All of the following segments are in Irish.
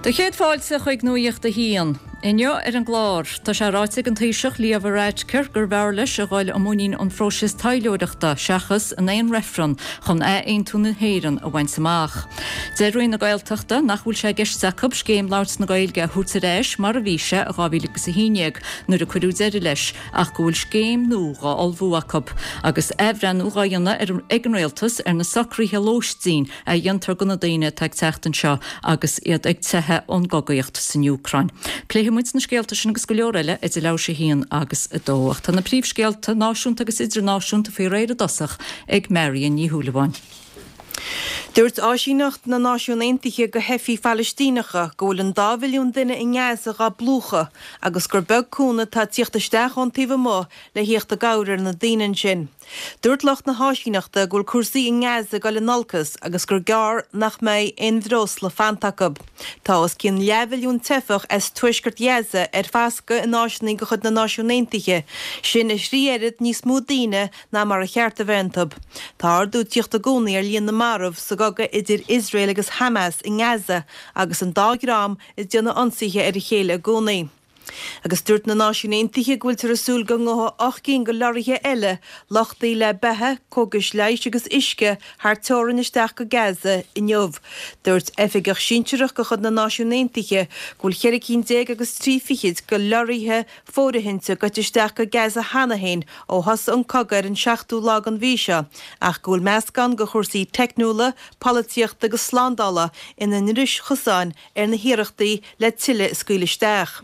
Do chéad fáilte chuig Nuacht a hAon. Inniu ar an gclár, tá sé ráite ag an Taoiseach Leo Varadkar gurbh fhearr leis a dhul i muinín an phróisis taidhleoireachta seachas in aon reifreann chun athaontú na hÉireann a bhaint amach. Deir Roinn na Gaeltachta nach bhfuil sé i gceist acu Scéim Labhairt na Gaeilge a thabhairt ar ais mar a bhí sé i 2011 nuair a cuireadh deireadh leis ach go bhfuil scéim nua dhá ullmhú acu agus athbhreithniú dhá dhéanamh ag an Rialtas ar na socruithe lóistín a dhéantar do na daoine atá ag teacht anseo agus iad ag teitheadh ón gcogaíocht san Úcráin. Pléifidh muid na scéalta sin agus go leor eile idir leathuair tar éis a haon agus a dó. Ach tá na príomhscéalta náisiúnta agus idirnáisiúnta faoi réir i dtosach ag Marion Ní Shúilleabháin. Dúirt Áisíneacht na Náisiún Aontaithe do Theifigh Phalaistíneacha go bhfuil an dá mhilliún duine i nGaza dhá bplúchadh agus gur beag cúnamh atá ag tíocht isteach ón taobh amuigh le thíocht i gcabhair ar na daoine ansin. Dúirt lucht na háisíneachta go bhfuil cúrsaí i nGaza ag dul in olcas agus gur gearr nach mbeidh aon bhreosla fanta acu. Tá os cionn leathmhilliún teifeach as tuaisceart Ghaza ar fascadh in áiseanna de chuid na Náisiún Aontaithe, sin a thrí oiread níos mó daoine ná mar a cheart a bheith iontu. Tá ardú ag tíocht i gcónaí ar líon na marbh sa gcogadh idir Iosrael agus Hamas i nGaza agus an dá dhream ag déanamh ionsaithe ar a chéile i gcónaí. Agus dúirt na Náisiúin Aontaithe go bhfuiltear ag súil go ngabhfaidh 8 gcinn de leoraithe eile, luchtaithe le beatha, cógais leighis agus uisce, thar teorainn isteach go Gaza inniu. Dúirt oifigeach sinsearach de chuid na Náisiún Aontaithe go bhfuil cheithre cinn déag agus trí fichid de leoraithe fóirithinte gaibhte isteach go Gaza cheana féin ó thosaigh an cogadh ar an seachtú lá den mhí seo ach go bhfuil meascán de chúrsaí teicniúla, polaitíochta agus slándála ina ndris chosáin ar na hiarrachtaí le tuilleadh a scaoileadh isteach.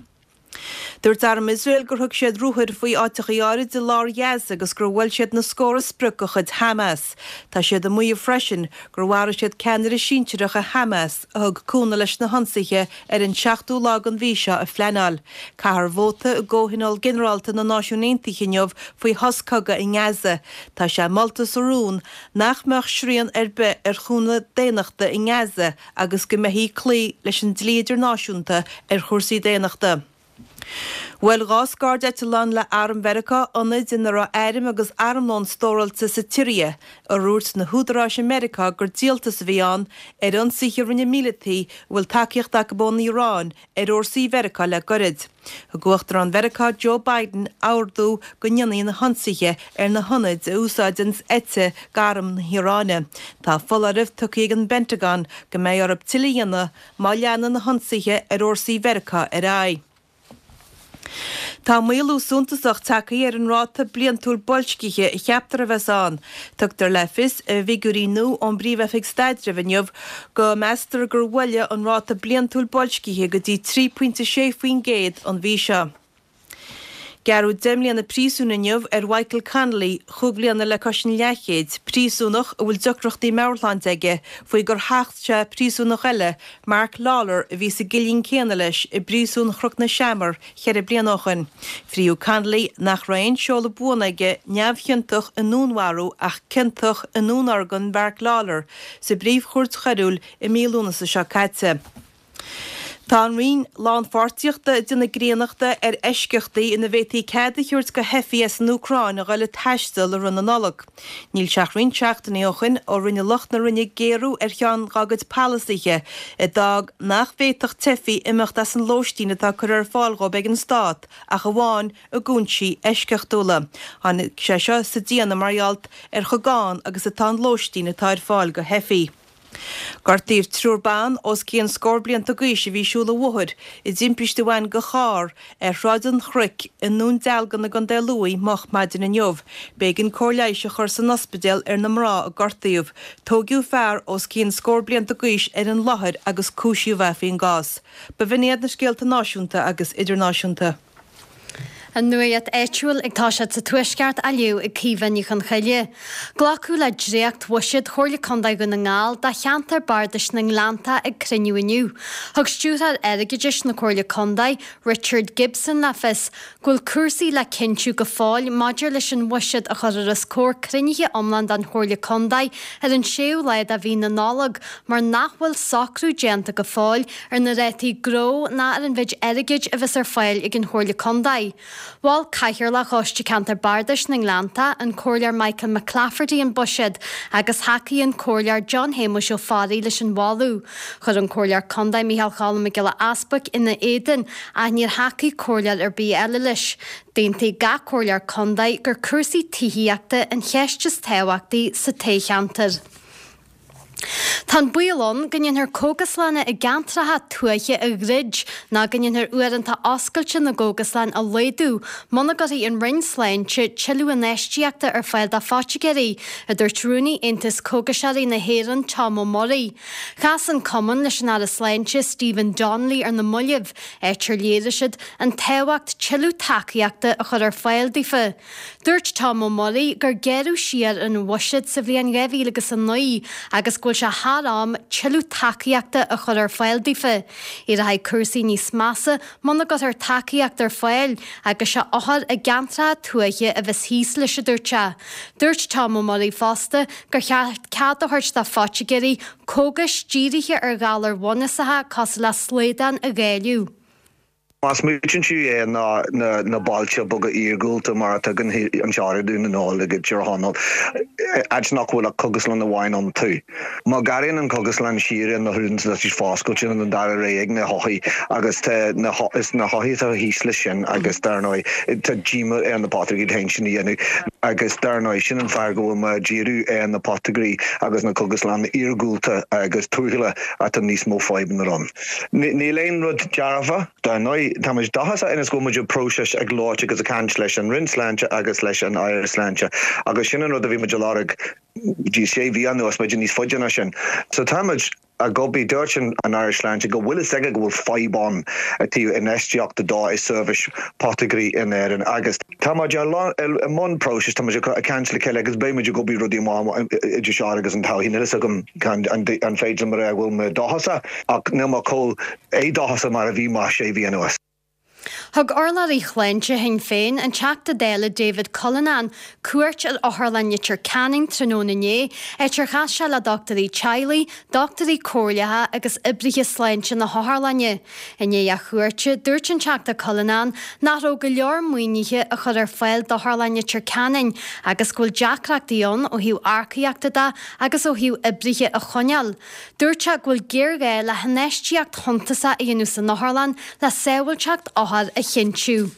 Dúirt arm Iosrael gur thug siad ruathair faoi áiteachaí áirid i lár Ghaza agus gur bhuail siad na scórtha sprioc de chuid Hamas. Tá siad ag maíomh freisin gur mharaigh siad ceannaire sinsearach i Hamas a thug cúnamh leis na hionsaithe ar an seachtú lá den mhí seo a phleanáil. Caithfear vóta i gComhthionól Ginearálta na Náisiún Aontaithe inniu faoi shos cogaidh i nGaza. Tá sé molta sa rún nach mbeadh srian ar bith ar chúnamh daonnachta i nGaza agus go mbeifí ag cloí leis an dlí idirnáisiúnta ar chúrsaí daonnachta. Bhuail 2 scairdeitleán le Arm Mheiriceá ionaid ina raibh airm agus armlón stóráilte sa tSiria, a dhúirt na húdaráis i Meiriceá gur díoltas a bhí ann ar ionsaithe a rinne míleataigh a bhfuil tacaíocht acu ón Iaráin ar fhórsaí Mheiriceá le goirid. Thug Uachtarán Mheiriceá Joe Biden ordú go ndéanfaí na hionsaithe ar na hionaid a úsáideanns eite d'arm na hIaráine. Tá foláireamh tugtha ag an bPentagon go mbeidh orthu tuilleadh a dhéanamh má leanann na hionsaithe ar fhórsaí Mheiriceá ar aghaidh. Tá maolú suntasach tagtha ar an ráta bliantúil boilscithe a cheaptar a bheas ann. Tugtar le fios i bhfigiúirí nua ón bPríomh-Oifig Staidrimh inniu go meastar gur bhuaile an ráta bliantúil boilscithe go dtí 3.6% an mhí seo. Gearradh 10 mbliana príosúin inniu ar Mhichael Connolly, chúig bhliana le cois an leathchéid, príosúnach a bhfuil deacrachtaí meabhairshláinte aige, faoi gur thacht sé príosúnach eile, Mark Lawlor, a bhí sa gcillín céanna leis i bpríosún Chnoc na Seamar cheithre bliana ó shoin. Fríodh Connolly, nach raibh aon seoladh buan aige, neamhchiontach i ndúnmharú ach ciontach i ndúnorgain Mhark Lawlor sa bPríomh-Chúirt Choiriúil i mí Lúnasa seo caite. Tá an Roinn Lánpháirtíochta ag déanamh griannachta ar eisceachtaí ina bhféadfaí cead a thabhairt do theifigh as an Úcráin a dhul ag taisteal i rith na Nollag. Níl sé ach roinnt seachtainí ó shoin ó rinne lucht na Roinne géarú ar cheann dá gcuid polasaithe a d'fhág nach bhféadfadh teifigh imeacht as an lóistín atá curtha ar fáil dhóibh ag an Stát ach amháin i gcúinsí eisceachtúla. Tháinig sé seo sa déanamh mar gheall ar chomh gann agus atá an lóistín atá ar fáil do theifigh. Gortaíodh triúr ban os cionn scór blianta d'aois a bhí ag siúl an bhóthair i dtimpiste a bhain go charr ar Shráid an Chnoic i nDún Dealgan i gContae Lú moch maidin inniu. B'éigean cóir leighis a chur san ospidéal ar na mná a gortaíodh. Tóigeadh fear os cionn scór blianta d'aois ar an láthair agus cúisíodh é faoin gcás. B'in iad na scéalta náisiúnta agus idirnáisiúnta. An nuacht áitiúil ag toiseacht sa Tuaisceart á léamh ag Caoimhe Ní Chonchoille. Glacadh le dréacht-bhuiséad Chomhairle Contae Dhún na nGall do cheantar bardais na nGleannta ag cruinniú inniu. Thug Stiúrthóir Airgeadais na Comhairle Contae, Richard Gibson le fios go bhfuil cúrsaí le cinntiú go fóill maidir leis an bhuiséad a chuirfear os comhair cruinnithe iomlán den Chomhairle Contae ar an séú lá de mhí na Nollag mar nach bhfuil socrú déanta go fóill ar na rátaí gnó ná ar an mhéid airgid a bheas ar fáil ag an Chomhairle Contae. Mhol Cathaoirleach Choiste Ceantair Bardais na nGleanntach, an Comhairleoir Michael McClafferty an buiséad agus thacaigh an Comhairleoir John Shéamuis Ó Fearraigh leis an mholadh. Chuir an Comhairleoir Contae Micheál Cholm Mac Giolla Easbuic ina éadan ach níor thacaigh comhairleoir ar bith eile leis. D'aontaigh gach comhairleoir contae gur cúrsaí tithíochta an cheist is tábhachtaí sa toghcheantar. Tá an baol ann go ndéanfar cógaslanna i gceantracha tuaithe a dhruid nó go ndéanfar uaireanta oscailte na gcógaslann a laghdú muna gcuirfidh an Roinn Sláinte tuilleadh infheistíochta ar fáil do phoitigéirí, a dúirt Rúnaí Aontas Cógaiseoirí na hÉireann Tom Ó Muirí. Chas an cumann leis an Aire Sláinte Stephen Donnelly ar na mallaibh, áit ar léirigh siad an tábhacht tuilleadh tacaíochta a chur ar fáil daofa. Dúirt Tom Ó Muirí gur gearradh siar ar an bhuiséad sa bhliain 2009 agus go bhfuil sé thar am tuilleadh tacaíochta a chur ar fáil daofa. Éireoidh cúrsaí níos measa muna gcuirfear tacaíocht ar fáil agus sé othair i gceantracha tuaithe a bheas thíos leis, a dúirt sé. Dúirt Tom Ó Muirí fosta gur cheart cead a thabhairt do phoitigéirí cógais dírithe ar ghalair bhunúsacha cosúil le slaghdán a dháileadh. Má smaoitíonn tú ar na bailte beaga iargúlta mar atá againn anseo i Dún na nGall agus Tír Chonaill, áit nach bhfuil ach cógaslann amháin iontu. Má ghearrann an chógaslann siar ar na huaireanta atá siad foscailte nó an dara rogha ag na hothair agus tá na is na hothair atá thíos leis sin agus dar ndóigh tá díoma ar na poitigéirí iad féin sin a dhéanamh agus dar ndóigh sin an fáth go bhfuil mé ag díriú ar na poitigéirí agus na cógaslanna iargúlta agus tuaithe atá níos mó fadhbanna ann. Níl aon rud dearfa. Dar ndóigh, tá muid dóchasach ionas go bhfuil muid i bpróiseas ag labhairt agus ag caint leis an Roinn Sláinte agus leis an Aire Sláinte agus sin an rud a bhí muid a lorg dtí sé mhí anuas, b'fhéidir níos faide ná sin. So tá muid ag obair, dúirt an Aire Sláinte go bhfuil fhios aige go bhfuil fadhb ann i dtaobh infheistíochta dó i seirbhís poitigéirí in Éirinn agus tá muid i mbun próisis, tá muid ag caint le chéile agus beidh muid ag obair rudaí amach idir seo agus an todhchaí. Níl fhios agam an féidir liom a rá go bhfuil mé dóchasach ach níl mé chomh éadóchasach mar a bhí mé sé mhí anuas. Thug urlabhraí shláinte Shinn Féin, an Teachta Dála David Cullinane, cuairt ar Otharlann Leitir Ceanainn tráthnóna inné, áit ar chas sé le dochtúirí teaghlaigh, dochtúirí comhairleacha agus oibrithe sláinte na hotharlainne. I ndiaidh a chuairte, dúirt an Teachta Cullinane nach raibh go leor maoinithe á chur ar fáil d'Otharlann Leitir Ceanainn agus go bhfuil deacrachtaí ann ó thaobh earcaíochta de agus ó thaobh oibrithe a choinneáil. Dúirt sé go bhfuil géarghá le hinfheistíocht shuntasach a dhéanamh san otharlann le sábháilteacht othar a chinntiú.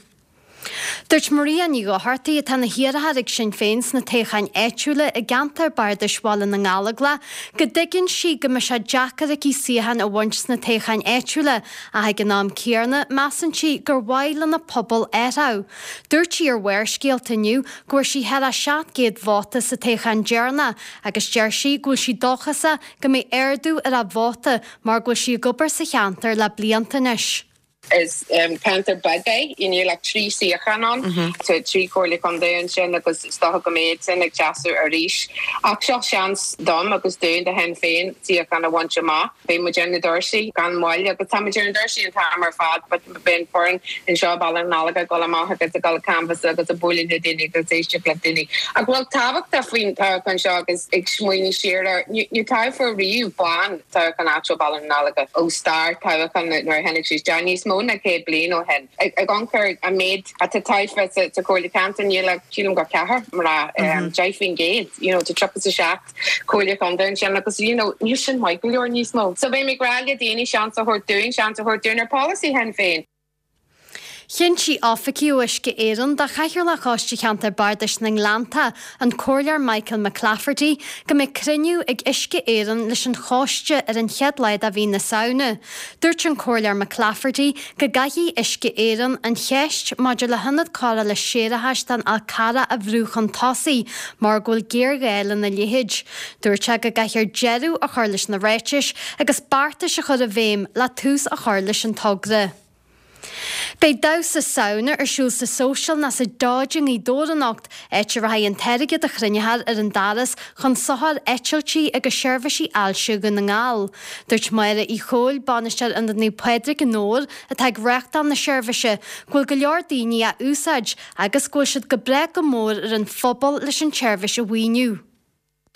Dúirt Maria Ní Dhochartaigh, atá ina hiarrthóir ag Sinn Féin sna toghcháin áitiúla i gceantar bardais Bhaile na nGallóglach, go dtuigeann sí go mbeidh sé deacair aici suíochán a bhaint sna toghcháin áitiúla ach ag an am céanna measann sí gur mhaith lena pobal athrú. Dúirt sí ar Bharrscéalta inniu go bhfuair sí thar 700 vóta sa toghchán deireanach agus deir sí go bhfuil sí dóchasach go mbeidh ardú ar a vóta mar go bhfuil sí ag obair sa cheantar le blianta anois. Is ceantar beag é, níl ach 3 suíochán ann. Tá 3 chomhairle contae ansin agus is dócha go mbeidh sin ag seasamh arís. Ach seo seans dom agus dúinn, do Shinn Féin, suíochán a bhaint amach. Beidh muid ar na doirse gan mhoill agus tá muid ar na doirse an t-am ar fad but beidh an foireann anseo i Baile na nGallóglach ag dul amach agus ag dul ag canbhasáil agus ag bualadh le daoine agus ag éisteacht le daoine. Ach rud tábhachtach faoin toghchán seo agus ag smaoineamh siar air, níor toghadh riamh bean. Toghchán áitiúil Baile na nGallóglach ó stair toghchán nuair a tháinig sé isteach níos mó ná 100 bliain ó shin. Ag amharc ar an méid atá tofa sa Chomhairle Ceantair níl ach sílim gur ceathrar mná, 10%, you know, tá 37 Comhairle Contae ansin agus you know níl sin maith go leor níos mó. So beidh mé ag rá le daoine seans a thabhairt dúinn, seans a thabhairt dúinn ar polasaí Shinn Féin. Chinntigh oifigigh ó Uisce Éireann do Chathaoirleach Choiste Cheantar Bardais na nGleannta, an Comhairleoir Michael McClafferty, go mbeidh cruinniú ag Uisce Éireann leis an choiste ar an chéad lá de mhí na Samhna. Dúirt an Comhairleoir McClafferty go gcaithfidh Uisce Éireann an cheist maidir le hionad cóireála séarachais don Fhál Carrach a bhrú chun tosaigh mar go bhfuil géarghá lena leithéid. Dúirt sé go gcaithfear deireadh a chur leis na ráitis agus beartais a chur i bhfeidhm le tús a chur leis an togra. Beidh damhsa Samhna ar siúl sa Social nó sa Dodge i nGaoth Dobhair anocht, áit a rachaidh an t-airgead a chruinneofar ar an doras chun sochair eitiltí agus seirbhísí ailse Dhún na nGall. Dúirt Máire Uí Chomhaill, Bainisteoir Ionad Naomh Pádraig i nDobhar, atá ag reáchtáil na seirbhíse, go bhfuil go leor daoine á úsáid agus go bhfuil siad go breá go mór ar an phobal leis an tseirbhís a mhaoiniú.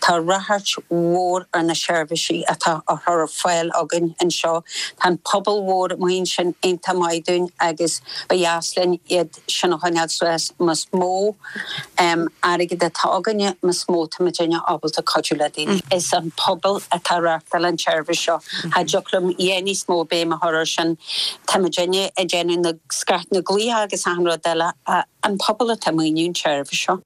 Tá ráchairt mhór ar na seirbhísí atá á chur ar fáil againn anseo. Tá an pobal mhór amuigh ansin iontach maith dúinn agus ba dheas linn iad sin a choinneáil suas. Más mó airgead atá againne, más mó tá muidinne ábalta cuidiú le daoine. Is an pobal atá ag reáchtáil an tseirbhís seo. Cha dtiocfadh liom a dhath níos mó béim a chur air sin. Tá muidinne ag déanamh na scairt na glaoch agus achan rud eile ach an pobal atá ag maoiniú an tseirbhís seo.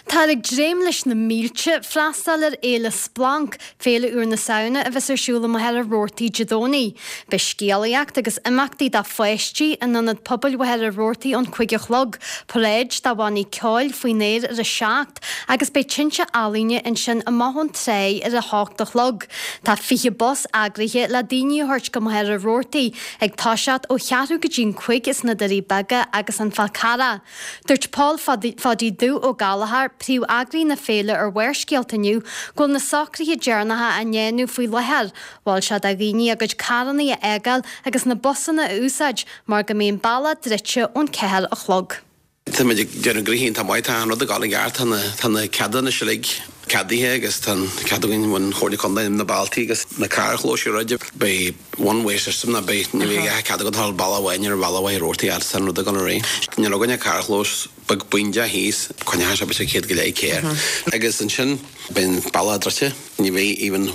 Táthar ag dréim leis na mílte freastal ar Fhéile Splanc, féile úr na Samhna a bheas ar siúl i Machaire Rabhartaigh Dé Domhnaigh. Beidh scéalaíocht agus imeachtaí do pháistí in Ionad Pobail Mhachaire Rabhartaigh ón 5 a chlog, paráid do bhannaí ceoil faoin aer ar a 7 agus beidh tinte ealaíne ansin amach ón tráigh ar a hocht a chlog. Tá 20 bus eagraithe le daoine a thabhairt go Machaire Rabhartaigh ag toiseacht ó cheathrú go dtí an 5 as na Doirí Beaga agus an Fál Carrach. Dúirt Pól Pháidí Dubh Ó Gallchóir, príomh-eagraí na féile ar Bharrscéalta inniu, go bhfuil na socruithe deireanacha á ndéanamh faoi láthair. Mhol sé do dhaoine a gcuid carranna a fhágáil agus na busanna a úsáid mar go mbeidh an bealach druidte ón 4 a chlog. Táimid ag déanamh gnoithe iontach maith, tá an rud ag dul i gceart, tá na, tá na ceadanna uilig ceadaithe agus tá an cead againn ón Chomhairle Contae na bealtaí agus na carrchlóis a dhruid. Beidh one way system ná beidh, ní bheidh a chead agat a dhul bealach amháin ar an bhealach Mhachaire Rabhartaigh fhad is tá an rud ag dul ar aghaidh. Níl againn ach carrchlós beag bídeach thíos, coinneoidh sé b'fhéidir 100 go leith carr. Agus ansin beidh an bealach druidte, ní bheidh even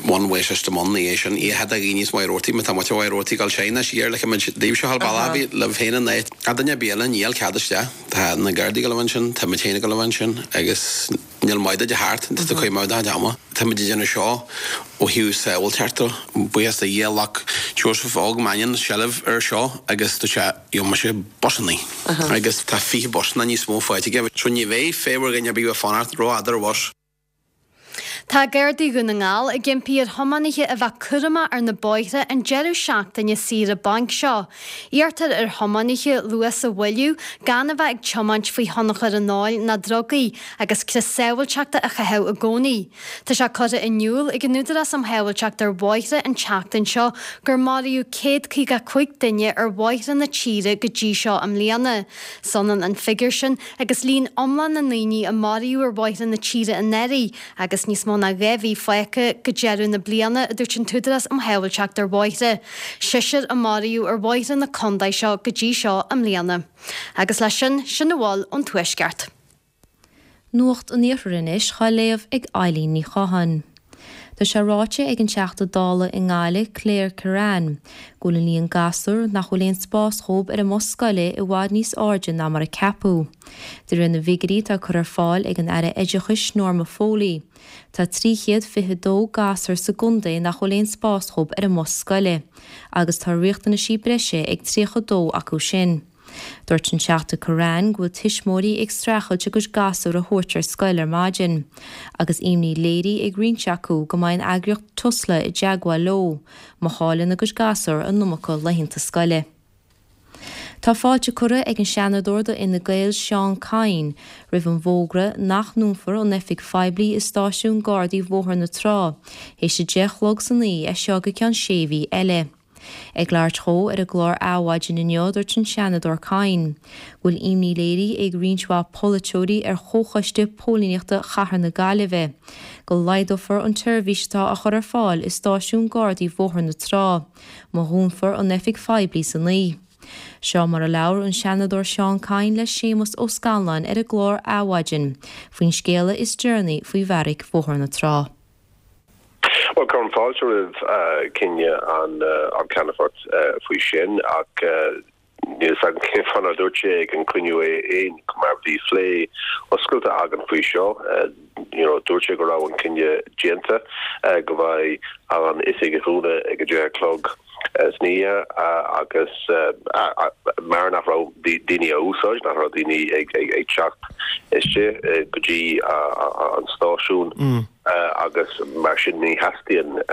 one way system ann ina dhiaidh sin. Ní chead do dhaoine as Machaire Rabhartaigh, má tá muid ó Mhachaire Rabhartaigh ag dul soir ná siar, like muid daoibhse a dhul bealach ar bith libh féin an áit. Ach duine ar bith eile, níl cead isteach. Tá na Gardaí ag dul a bheith ansin, tá muid féin ag dul a bheith ansin agus. Níl maith duit a theacht, tá tú ag coimeád do chuid ama. Táimid ag déanamh seo ó thaobh sábháilteachta. Buíochas do Dhia, ghlac Joseph Óg Mannion seilbh air seo agus dúirt sé, gheobhaidh mise busannaí. Agus tá 20 busanna níos mó faighte aige. So ní bheidh fadhb ar dhuine ar bith bheith fanacht rófhada ar bhus. Tá Gardaí Dhún na nGall ag impí ar thiománaithe a bheith cúramach ar na bóithre an deireadh seachtaine saoire bainc seo. Iarrtar ar thiománaithe luas a mhoilliú, gan a bheith ag tiomáint faoi thionchar an óil ná drugaí, agus crios sábháilteachta a chaitheamh i gcónaí. Tá sé curtha in iúl ag an Údarás um Shábháilteacht ar Bhóithre an tseachtain seo gur maraíodh 155 duine ar bhóithre na tíre go dtí seo i mbliana. Is ionann an figiúr sin agus líon iomlán na ndaoine a maraíodh ar bhóithre na tíre anuraidh, Agus níos mó ná 2 mhí fágtha go deireadh na bliana, a dúirt an tÚdarás um Shábháilteacht ar Bhóithre. Seisear a maraíodh ar bhóithre na contae seo go dtí seo i mbliana. Agus leis sin, sin a bhfuil ón Tuaisceart. Nuacht an Iarthair anois dhá léamh ag Eileen Ní Chatháin. Tá sé ráite ag an Teachta Dála i nGaillimh, Claire Kerrane, go bhfuil an líon gasúr nach bhfuil aon spás dhóibh ar an mbus scoile i bhfad níos airde ná mar a ceapadh. De réir na bhfigiúirí atá curtha ar fáil ag an Aire Oideachais Norma Foley, tá 322 gasúr sa gcontae nach bhfuil aon spás dhóibh ar an mbus scoile, agus tá riachtanaisí breise ag 32 acu sin. Dúirt an Teachta Kerrane go bhfuil tuismitheoirí ag streachailt a gcuid gasúr a thabhairt ar scoil ar maidin, agus imní léirithe ag roinnt acu go mbeidh an eagraíocht Tusla i dteagmháil leo má chailleann a gcuid gasúr an iomarca laethanta scoile. Tá fáilte curtha ag an Seanadóir do Fhine Gael Seán Kyne roimh an bhfógra nach ndúnfar an oifig phoiblí i Stáisiún Gardaí Bhóthar na Trá théis a 10 a chlog san oíche as seo go ceann sé mhí eile. Ag labhairt dhó ar an gclár Adhmhaidin inniu dúirt an Seanadóir Kyne go bhfuil imní léirithe ag roinnt mhaith polaiteoirí ar Chomhchoiste Póilíneachta Chathair na Gaillimhe go laghdófar an tseirbhís atá á chur ar fáil i Stáisiún Gardaí Bhóthar na Trá má dhúnfar an oifig phoiblí san oíche. Seo mar a labhair an Seanadóir Seán Kyne le Séamus Ó Scanláin ar an gclár Adhmhaidin faoin scéala is deireanaí faoi bheairic Bhóthar na Trá. Bhuel, cuirim fáilte roimh chinneadh an Cheannfoirt faoi sin ach Níl 'fhios agam cén fáth nár dúirt sé ag an cruinniú é fhéin mar bhí phlé oscailte againn faoi seo. You know, dúirt sé go raibh an cinneadh déanta go mbeidh an oifig a dhúnadh ag a deich a chlog san oíche agus mar nach raibh daoine á úsáid, nach raibh daoine ag teacht istigh go dtí an stáisiún. agus mar sin ní theastaíonn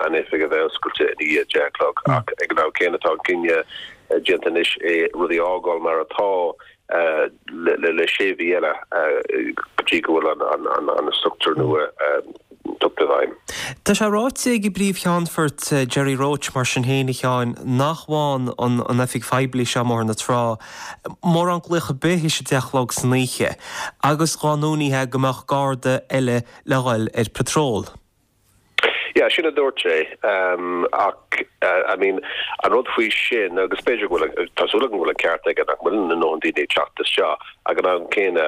an oifig a bheith oscailte i ndiaidh a deich a chlog. Ach ag an am céanna tá an cinneadh déanta anois é rudaí a fhágáil mar atá le sé mhí eile go dtí go bhfuil an struchtúr nua tugtha i bhfeidhm. Tá sé ráite ag an bPríomh-Cheannfort Gerry Roche mar sin féin, a Sheáin, nach bhfaigheann an oifig phoiblí seo i mBóthar na Trá mórán glaoch ar bith théis a 10 a chlog san oíche agus dhá n-uainíthe go mbeadh garda eile le dhul ar patrol. Yeah, sin a dúirt sé. Ach, I mean, an rud faoi sin, agus b'fhéidir go bhfuil, tá súil agam go bhfuil an ceart aige nach bhfuil a ndóthain daoine ag teacht isteach, ag an am céanna,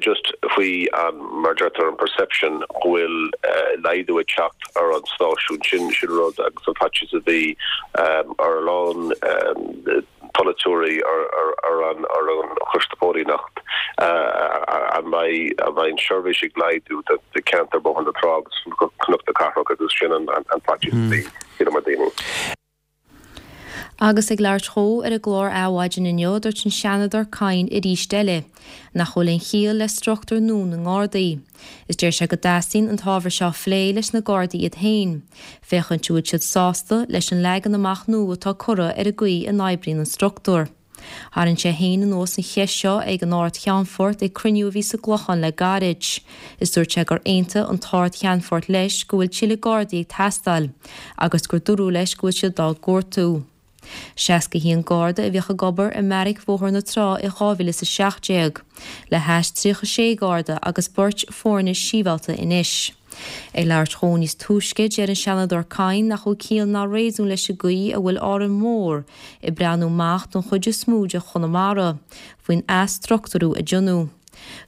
just faoi an, mar a deirtear, an perception go bhfuil laghdú ag teacht ar an stáisiún, sin, sin rud agus an faitíos a bhí ar a lán polaiteoirí ar an ar an Choiste Póilíneacht an mbeidh an mbeidh an seirbhís ag laghdú do cheantar Bóthar na Trá agus Cnoc na Cathrach agus sin an faitíos a bhí sílim ar daoine. Agus ag labhairt dhó ar an gclár Adhmhaidin inniu, dúirt an Seanadóir Kyne arís eile nach bhfuil aon chiall le struchtúr nua na nGardaí. Is deir sé go dteastaíonn an t-ábhar seo a phlé leis na Gardaí iad féin, féachaint an bhfuil siad sásta leis an leagan amach nua atá curtha ar an gcaoi a n-oibríonn an struchtúr. Tharraing sé féin anuas an cheist seo ag an Ard-Cheannfort ag cruinniú a bhí sa gClochán le gairid. Is dúirt sé gur aontaigh an tArd-Cheannfort leis go bhfuil tuilleadh Gardaí ag teastáil agus gur dúradh leis go bhfuil siad dá gcuartú. 61 Garda a bhíodh ag obair i mbeairic Bhóthar na Trá i 2017, le hais 36 Garda agus beirt foirne sibhialta anois. Ag labhairt dhó níos túisce, deir an Seanadóir Kyne nach bhfuil ciall ná réasún leis an gcaoi a bhfuil Árainn Mhór ag breathnú amach don chuid is mó de Chonamara faoin athstruchtúrú a deineadh.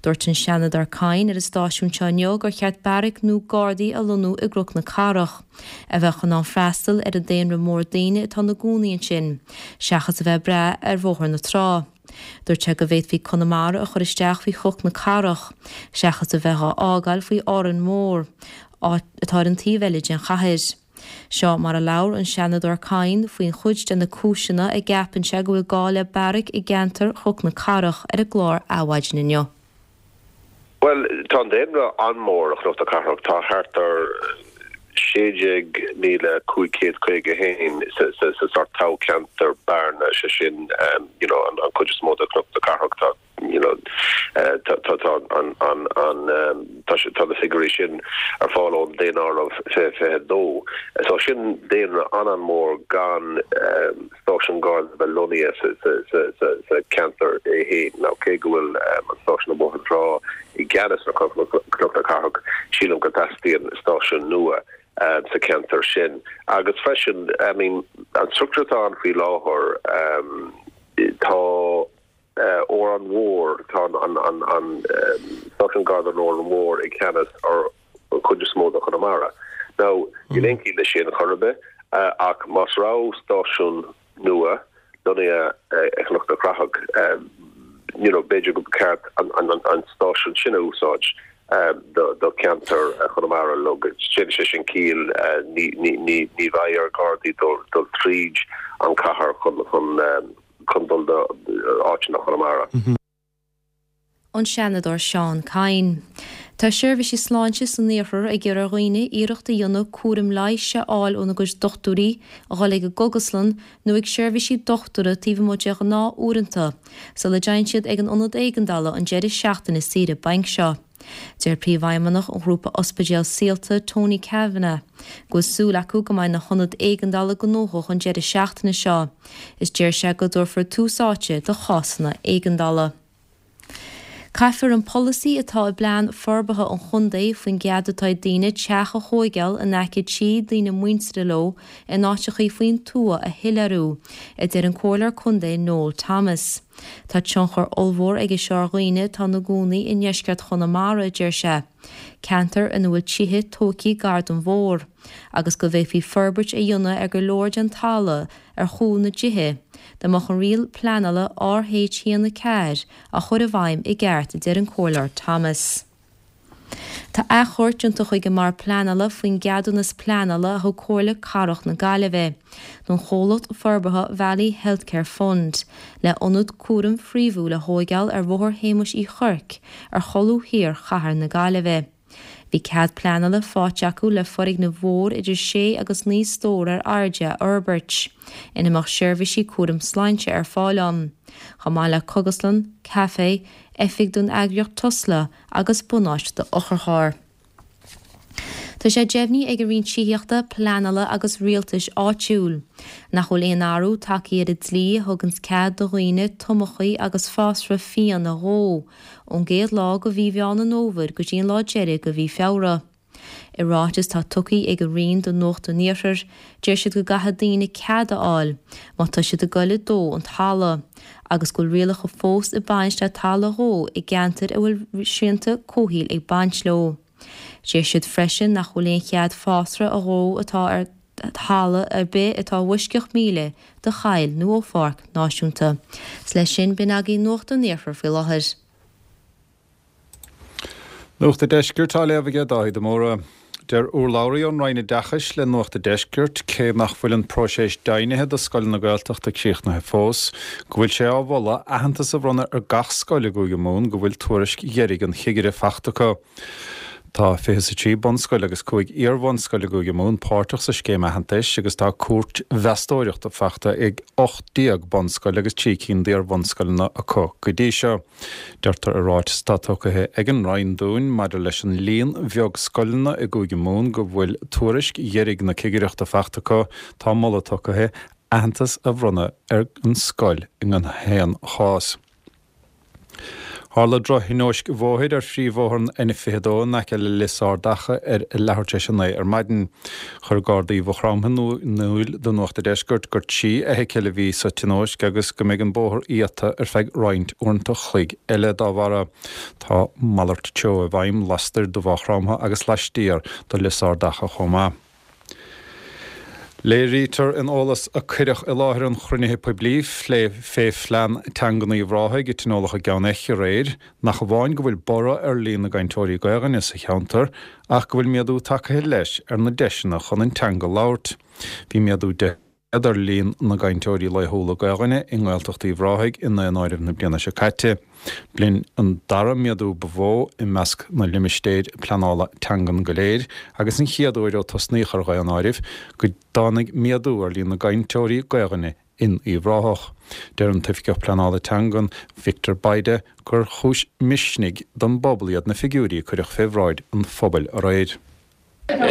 Dúirt an Seanadóir Kyne ar an stáisiún seo inniu gur cheart beairic nua Gardaí a lonnú i gCnoc na Cathrach, a bheadh in ann freastal ar an daonra mór daoine atá ina gcónaí ansin, seachas a bheith ag brath ar Bhóthar na Trá. Dúirt sé go bhféadfaí Conamara a chur isteach faoi Chnoc na Cathrach, seachas a bheith á fhágáil faoi Árainn Mhór, atá ar an taobh eile den chathair. Seo mar a labhair an Seanadóir Kyne faoin chuid de na cúiseanna a gceapann sé go bhfuil gá le beairic i gceantar Chnoc na Cathrach ar an gclár Adhmhaidin inniu. Bhuel, tá an daonra an-mhór i Chnoc na Cathrach, tá thart ar 16,551 sa sórt toghcheantar Bearna, sé sin you know an chuid is mó de Chnoc na Cathrach, tá you know tá tá an an an tá tá na figiúirí sin ar fáil ón daonáireamh 2022. So sin daonra an-an-mhór gan stáisiún Garda a bheith lonnaithe sa cheantar é féin. Now cé go bhfuil an stáisiún i mBóthar na Trá i gceannas ar Chnoc na Cathrach, sílim go dteastaíonn stáisiún nua sa cheantar sin. Agus freisin, I mean, an struchtúr atá ann faoi láthair, tá Órán Mór, tá an stáisiún Garda in Órán Mór i gceannas ar an chuid is mó de Chonamara. Now, níl aon chiall leis sin chor ar bith, ach más raibh stáisiún nua lonnaithe i gCnoc na Cathrach, you know, b'fhéidir go ba cheart an stáisiún sin a úsáid do cheantar Chonamara. Look, déanann sé sin ciall, ní bheidh ar Ghardaí dul tríd an chathair chun dul do áiteanna Chonamara. An Seanadóir Seán Kyne. Tá seirbhísí sláinte san iarthar ag iarraidh ar dhaoine iarracht a dhéanamh cúram leighis a fháil óna gcuid dochtúirí, a dhul ag an gcógaslann nó ag seirbhísí dochtúra taobh amuigh de ghnáth-uaireanta, sula dtéann siad ag an ionad éigeandála an deireadh seachtaine saoire bainc seo. Deir Príomhfheidhmeannach an ghrúpa ospidéal Saolta, Tony Kavanagh, go bhfuil súil acu go mbeidh na hionaid éigeandála gnóthach an deireadh seachtaine seo, is deir sé go dtabharfar tús áite do chásanna éigeandála. Caithfear an polasaí atá i bplean forbartha an chontae faoin gcead atá ag daoine teach a thóigeáil in aice tí daoine muinteartha leo in áiteachaí faoin tuath a shoiléiriú, a deir an Comhairleoir Contae Noel Thomas. Tá tionchar ollmhór aige seo ar dhaoine atá ina gcónaí i ndeisceart Chonamara, a deir sé, ceantar ina bhfuil tithe tóigthe gar don bhóthar, agus go bhféadfaí forbairt a dhéanamh ar go leor den talamh ar chúl na dtithe, dá mbeadh an riail pleanála RH 1 4 á chur i bhfeidhm i gceart, a deir an Comhairleoir Thomas. Tá achomharc déanta chuig an mBord Pleanála faoin gceadúnas pleanála a thug Comhairle Cathrach na Gaillimhe don chomhlacht forbartha Valley Healthcare Fund le ionad cúraim phríomhúil a thóigeáil ar Bhóthar Shéamuis Uí Chuirc ar cholbha thiar chathair na Gaillimhe. Bhí cead pleanála faighte acu le foirgneamh mhór idir sé agus 9 stór ar airde a fhorbairt, ina mbeadh seirbhísí cúraim sláinte ar fáil ann, chomh maith le cógaslann, caifé, oifig don eagraíocht Tusla agus bunáite do otharchairr. Tá sé deimhnithe ag an Roinn Tithíochta, Pleanála agus Rialtais Áitiúil nach bhfuil aon athrú tagtha ar an dlí a thuganns cead do dhaoine tomachaí agus fásra fiann a dhó ón gcéad lá de mhí Mheán an Fhómhair go dtí an lá deiridh de mhí Feabhra. I ráiteas atá tugtha ag an Roinn do Nuacht an Iarthair, deir siad go gcaithfidh daoine cead a fháil má tá siad ag goil ag dó an talamh, agus go bhfuil rialacha fós ag baint le talamh a dhó i gceantair a bhfuil srianta comhshaoil ag baint leo. Deir siad freisin nach bhfuil aon chead fásra a dhó atá ar thalamh ar bith atá i bhfoisceacht 1,000 de choill nó ó pháirc náisiúnta. 'S leis sin, b'in agaibh Nuacht an Iarthair faoi láthair. Nuacht a' Deiscirt á léamh aige Dáithí de Mórdha. Deir urlabhraí ón Roinn Oideachais le Nuacht a' Deiscirt, cé nach bhfuil an próiseas deimhnithe do scoileanna Gaeltachta críochnaithe fós, go bhfuil sé á mholadh aitheantas a bhronnadh ar gach scoil i gCúige Mumhan go bhfuil tuairisc dheiridh an chigire fachta acu. Tá 23 bunscoil agus 5 iar-bhunscoil i gCúige Mumhan páirteach sa scéim aitheantais agus tá cuairt mheastóireachta fachta ag 18 bunscoil agus 3 cinn d'iar-bhunscoileanna acu go dtí seo. Deirtear i ráiteas atá tugtha ag an Roinn dúinn maidir leis an líon bheag scoileanna i gCúige Mumhan go bhfuil tuairisc dheiridh na cigireachta fachta acu, tá moladh tugtha aitheantas a bhronnadh ar an scoil i ngach aon chás. Tharla drochthionóisc bhóthair ar phríomhbhóthar an N22 in aice le Lios Ard Acha ar leathuair tar éis a 9 ar maidin. Chuir Gardaí Mhaigh Chromtha in iúl do Nuacht a' Deiscirt gur 3 fheithicil a bhí sa tionóisc agus go mbeidh an bóthar iata ar feadh roinnt uaireanta chloig eile dá bharra. Tá malairt treo i bhfeidhm lastoir de Mhaigh Chromtha agus laistiar de Lios Ard Acha chomh maith. Léirítear in eolas a cuireadh i láthair an chruinnithe poiblí phlé fé phlean teangan Uíbh Ráthaigh a tionóladh i gCeann Eich aréir nach amháin go bhfuil borradh ar líon na gcainteoirí Gaelainne sa cheantar ach go bhfuil méadú tagtha leis ar na deiseanna chun an teanga labhairt. Bhí méadú 10% ar líon na gcainteoirí laethúla Gaelainne i nGaeltacht Uíbh Ráthaigh i nDaonáireamh na bliana seo caite. B'in an dara méadú ba mhó i measc na limistéir pleanála teangan go léir agus an chéad uair ó tosnaíodh ar dhaonáirimh go dtáinig méadú ar líon na gcainteoirí Gaelainne in Uíbh Ráthach. Deir an tOifigeach Pleanála Teangan, Victor Bayda, gur chúis misnigh don bpobal iad na figiúirí a cuireadh fé bhráid an phobail aréir.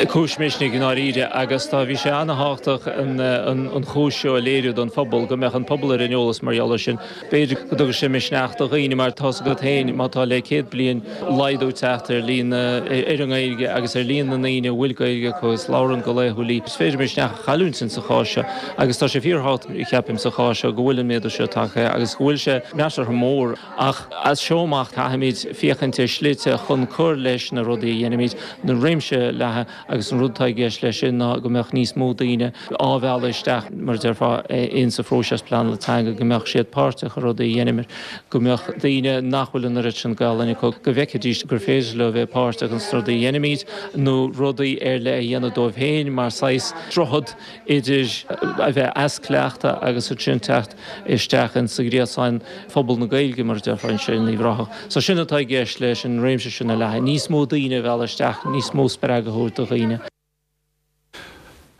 Cúis misnigh i ndáiríre agus tá, bhí sé an-thábhachtach an chúis seo a léiriú don phobal, go mbeadh an pobal ar an eolas mar gheall air sin. B'fhéidir go dtugadh sé misneach do dhaoine mar tá's agat féin má tá le 100 bliain laghdú teacht ar líon na, ar an nGaeilge agus ar líon na ndaoine a bhfuil Gaeilge acu agus labhrann go laethúil í, is féidir misneach a chailliúint insa chás seo agus tá sé fíorthábhachtach ceapaim sa chás seo go bhfuil an méadú seo tagtha agus go bhfuil sé measartha mór. Ach as seo amach caithfimid féachaint ar shlite chun cur leis na rudaí a dhéanaimid, na réimse a leathadh agus an rud atá i gceist leis sin ná go mbeadh níos mó daoine á mhealladh isteach, mar a déarfá, in sa phróiseas pleanála teanga, go mbeadh siad páirteach i rudaí a dheinimid, go mbeadh daoine nach bhfuil an oiread sin Gaolainn acu, go bhfeicfidís gur féidir leo bheith páirteach ins na rudaí a dheinimid nó rudaí ar leith a dhéanamh dóibh féin mar saghas droichead idir a bheith as cleachtadh agus ansin teacht isteach in sa ghréasán phobal na Gaeilge, mar a déarfá, anseo in Uíbh Ráthach. So sin atá i gceist leis an réimse sin a leathadh, níos mó daoine a mhealladh isteach, níos mó spreagadh a thabhairt do dhaoine.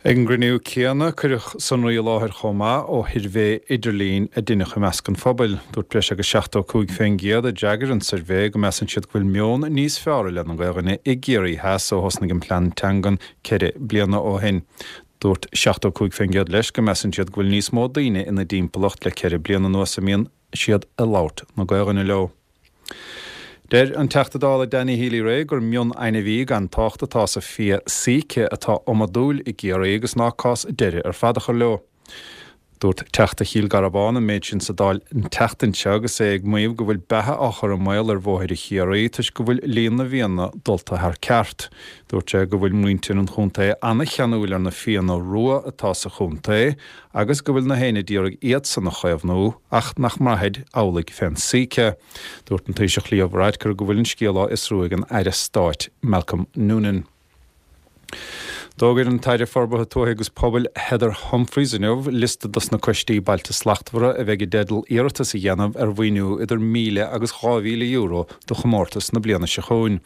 Ag an gcruinniú céanna, cuireadh sonraí i láthair chomh maith ó shuirbhé idirlín a deineadh i measc an phobail. Dúirt breis agus 75% a d'fhreagair an suirbhé go measann siad go bhfuil meon níos fearr i leith na Gaelainne i gCiarraí Theas ó thosnaigh an plean teangan ceithre bliana ó shin. Dúirt 75% leis go measann siad go bhfuil níos mó daoine ina dtimpeallacht le ceithre bliana anuas a mbíonn siad ag labhairt na Gaelainne leo. Deir an Teachta Dála Danny Healy-Rae gur mion-ainmhí gan tábhacht atá sa fia síce atá iomadúil i gCiarraí agus ná cás deireadh ar fad a chur leo. Dúirt Teachta Chill Garbháin an méid sin sa Dáil an tseachtain seo agus é ag maíomh go bhfuil beatha á chur i mbaol ar bhóithre Chiarraí toisc go bhfuil líon na bhfianna dulta thar ceart. Dúirt sé go bhfuil muintir an chontae an-cheanúil ar na fianna rua atá sa chontae agus go bhfuil na héinne d'iarraidh iadsan a chaomhnú ach nach mbraithfid amhlaidh fén síce. Dúirt an Taoiseach Leo Varadkar go bhfuil an scéal á fhiosrú ag an Aire Stáit Malcolm Noonan. D'fhógair an tAire Forbartha Tuaithe agus Pobail Heather Humphreys inniu liosta dos na coistí Bailte Slachtmhara a bheidh i dteideal iarratas a dhéanamh ar mhaoiniú idir €1,000 agus €2,000 do chomórtas na bliana seo chugainn.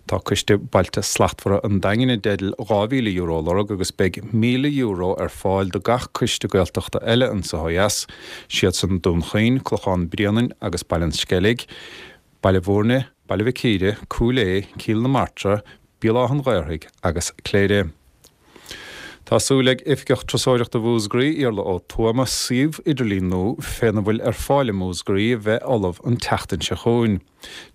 Tá Coiste Bailte Slachtmhara an Daingin i dteideal €2,000 a lorg agus beidh €1,000 ar fáil do gach coiste Gaeltachta eile anso ó dheas, siadsan Dún Chaoin, Clochán Bréanainn agus Baile an Sceilg, Baile Bhúirne, Baile Mhic Íre, Cúil Aodha, Cill na Martra, Béal Átha an Ghaorthaidh agus Cléire. Tá súil ag Oifigeach Turasóireachta Mhúscraí, Iarla Ó Tuama, suíomh idirlín nua féna bhfuil ar fáil i Múscraí a bheith ullamh an tseachtain seo chugainn.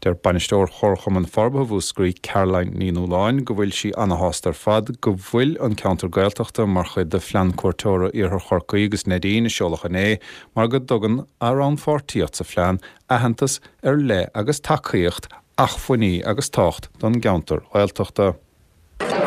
Deir Bainisteoir Chomharchumann Forbartha Mhúscraí, Caroline Ní Nualláin, go bhfuil sí ana-shásta ar fad go bhfuil an ceantar Gaeltachta mar chuid de Phlean Cuairteora Iarthar Chorcaí agus Neidín a seoladh inné mar go dtugann a rannpháirtíocht sa phlean aitheantas ar leith agus tacaíocht acmhainní agus tábhacht don gceantar Ghaeltachta.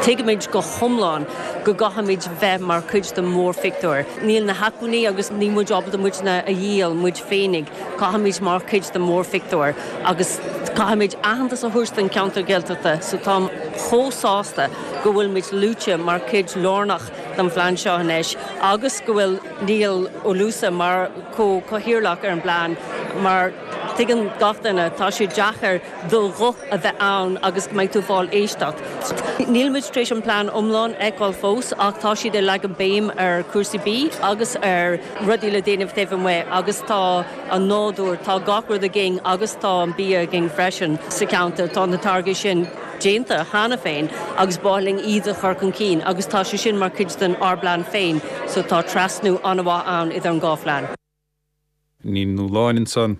Tuigimid go hiomlán go gcaithfimid bheith mar chuid den mhórphictiúr. Níl na hacmhainní agus níl muid ábalta muidne a dhíol muid féinig. Caithfimid mar chuid den mhórphictiúr agus caithfimid aitheantas a thabhairt don cheantar Gaeltachta so táim chomh sásta go bhfuil muid luaite mar chuid lárnach den phlean seo anois agus go bhfuil Niall Ó Luasa mar chomh-chathaoirleach ar an bplean mar tuigeann gach duine tá sé deacair do ghuth a bheith ann agus go mbeidh tú ag fáil éisteacht. Níl muid tar éis an plean iomlán a fheiceáil fós ach tá siad ag leagan béim ar cúrsaí bídh agus ar rudaí le déanamh taobh amuigh agus tá an nádúr, tá gach rud againn agus tá an bia againn freisin sa cheantar, tá na táirgí sin déanta cheana féin agus ba mhaith linn iad a chur chun cinn agus tá sé sin mar chuid den ár bplean féin so tá trasnú an-mhaith ann idir an dhá phlean. Ní Nualláin ansan.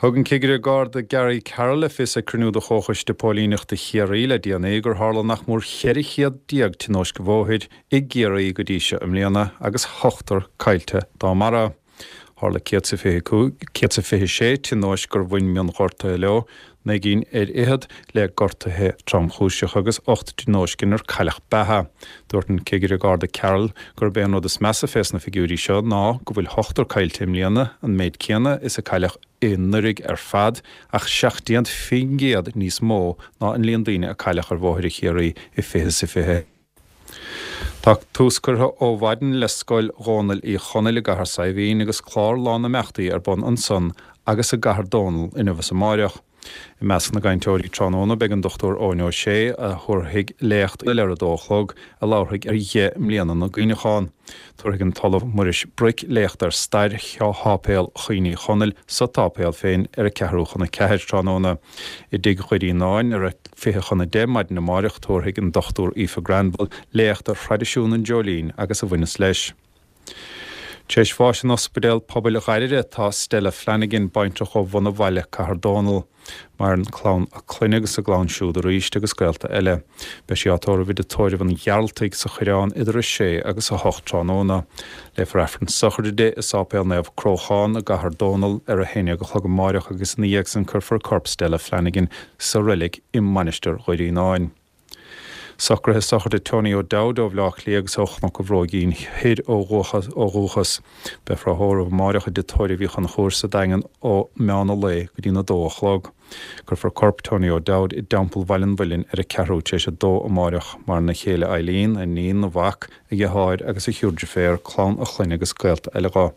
Thug an Cigire Garda Gary Carroll le fios ag cruinniú de Chomhchoiste Póilíneachta Chiarraí le déanaí gur tharla nach mór 14 céad tionóisc bhóthair i gCiarraí go dtí seo i mbliana agus ochtar caillte dá mbarra. Tharla 125, 126 tionóisc gur bhain mionghortuithe leo, 9 gcinn ar fhichead le gortuithe tromchúiseacha agus 8 dtionóisc inar cailleadh beatha. Dúirt an Cigire Garda Carroll gurb é an rud is measa fés na figiúirí seo ná go bhfuil ochtar caillte i mbliana, an méid céanna is a cailleadh anuraidh ar fad, ach 17% níos mó ná an líon daoine a cailleadh ar bhóithre Chiarraí i 2020. Tá tús curtha ó mhaidin le Scoil Dhónaill Uí Chonaill i gCathair Saidhbhín agus clár lán imeachtaí ar bun ansan agus i gCathair Dónall inniu is amáireach. I measc na gcainteoirí tráthnóna beidh an Dr Eoin Ó Sé a thabharfaidh léacht ar a dó a chlog a labharfaidh ar dheich mbliana na gcuimhneachán. Tabharfaidh an tOllamh Muiris Bric léacht ar stair Sháipéal Chaoin Uí Chonaill sa tsáipéal féin ar a ceathrú chun a ceathair tráthnóna. I dTigh Dhoirínáin ar a 9:40 maidin amáireach tabharfaidh an Dr Aoife Granville léacht ar thraidisiún an dreoilín agus a bhaineas leis. Tar éis bháis in Ospidéal Pobail Ghairire atá Stella Flanagan, baintreach ó Bhun a' Bhaile, Cathair Dónall. Maireann clann a clainne agus a gclann siúd arís agus gaolta eile. Beidh sí á tórramh i dTigh Tórraimh an Ghearaltaigh sa Choireán idir 6 agus 8 tráthnóna. Léifear Aifreann sochraide di i Sáipéal Naomh Cróchán i gCathair Dónall ar 11 a chlog amáireach agus ina dhiaidh san cuirfear corp Stella Flanagan sa reilig i Mainistir Dhoirínáin. Socruithe sochraide Tony O'Dowd ó Bhleá Cliath agus ó Chnoc an Bhróigín Thoir ó dhúchas. Beifear á thórramh amáireach i dTigh Tórraimh Uí Chonchúir sa Daingean ó meán an lae go dtí'n 2 a chlog. Cuirfear corp Tony O'Dowd i dTeampall Bhaile an Mhuilinn ar a ceathrú tar éis a dó amáireach. Maireann a chéile Eileen, a iníon, a mhac, a dheartháir agus a thriúr deirféar, clann a chlainne agus gaolta eile dho.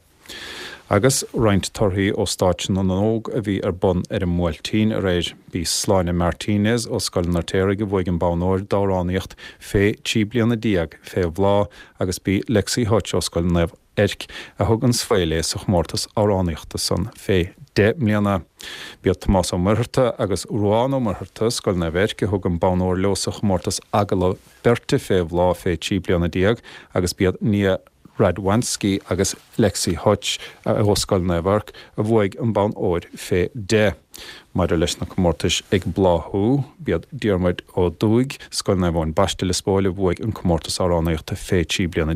Agus roinnt torthaí ó Stáitse na nÓg a bhí ar bun ar an mBuailtín aréir. B'í Sláine Martinez ó Scoil an Fheirtéaraigh a bhuaigh an bonn óir d'amhránaíocht fé 13 bliana fé bhláth agus b'í Lexi Hutch ó Scoil Naomh Eirc a thug an svae léi sa chomórtas amhránaíochta san fé 10 mbliana. B'iad Tomás Ó Muircheartaigh agus Ruán Ó Muircheartaigh, Scoil Naomh Eirc, a thug an bonn óir leo sa chomórtas agallamh beirte fé bhláth fé 13 bliana agus b'iad Nia Radwanski agus Lexi Hutch ó Scoil Naomh Eirc a bhuaigh an bonn óir fé 10. Maidir leis na comórtais Ag Bláthú, b'iad Diarmuid Ó Dúigh, Scoil Naomh Eoin Baiste, Lios Póil a bhuaigh an comórtas amhránaíochta fé 13 bliana.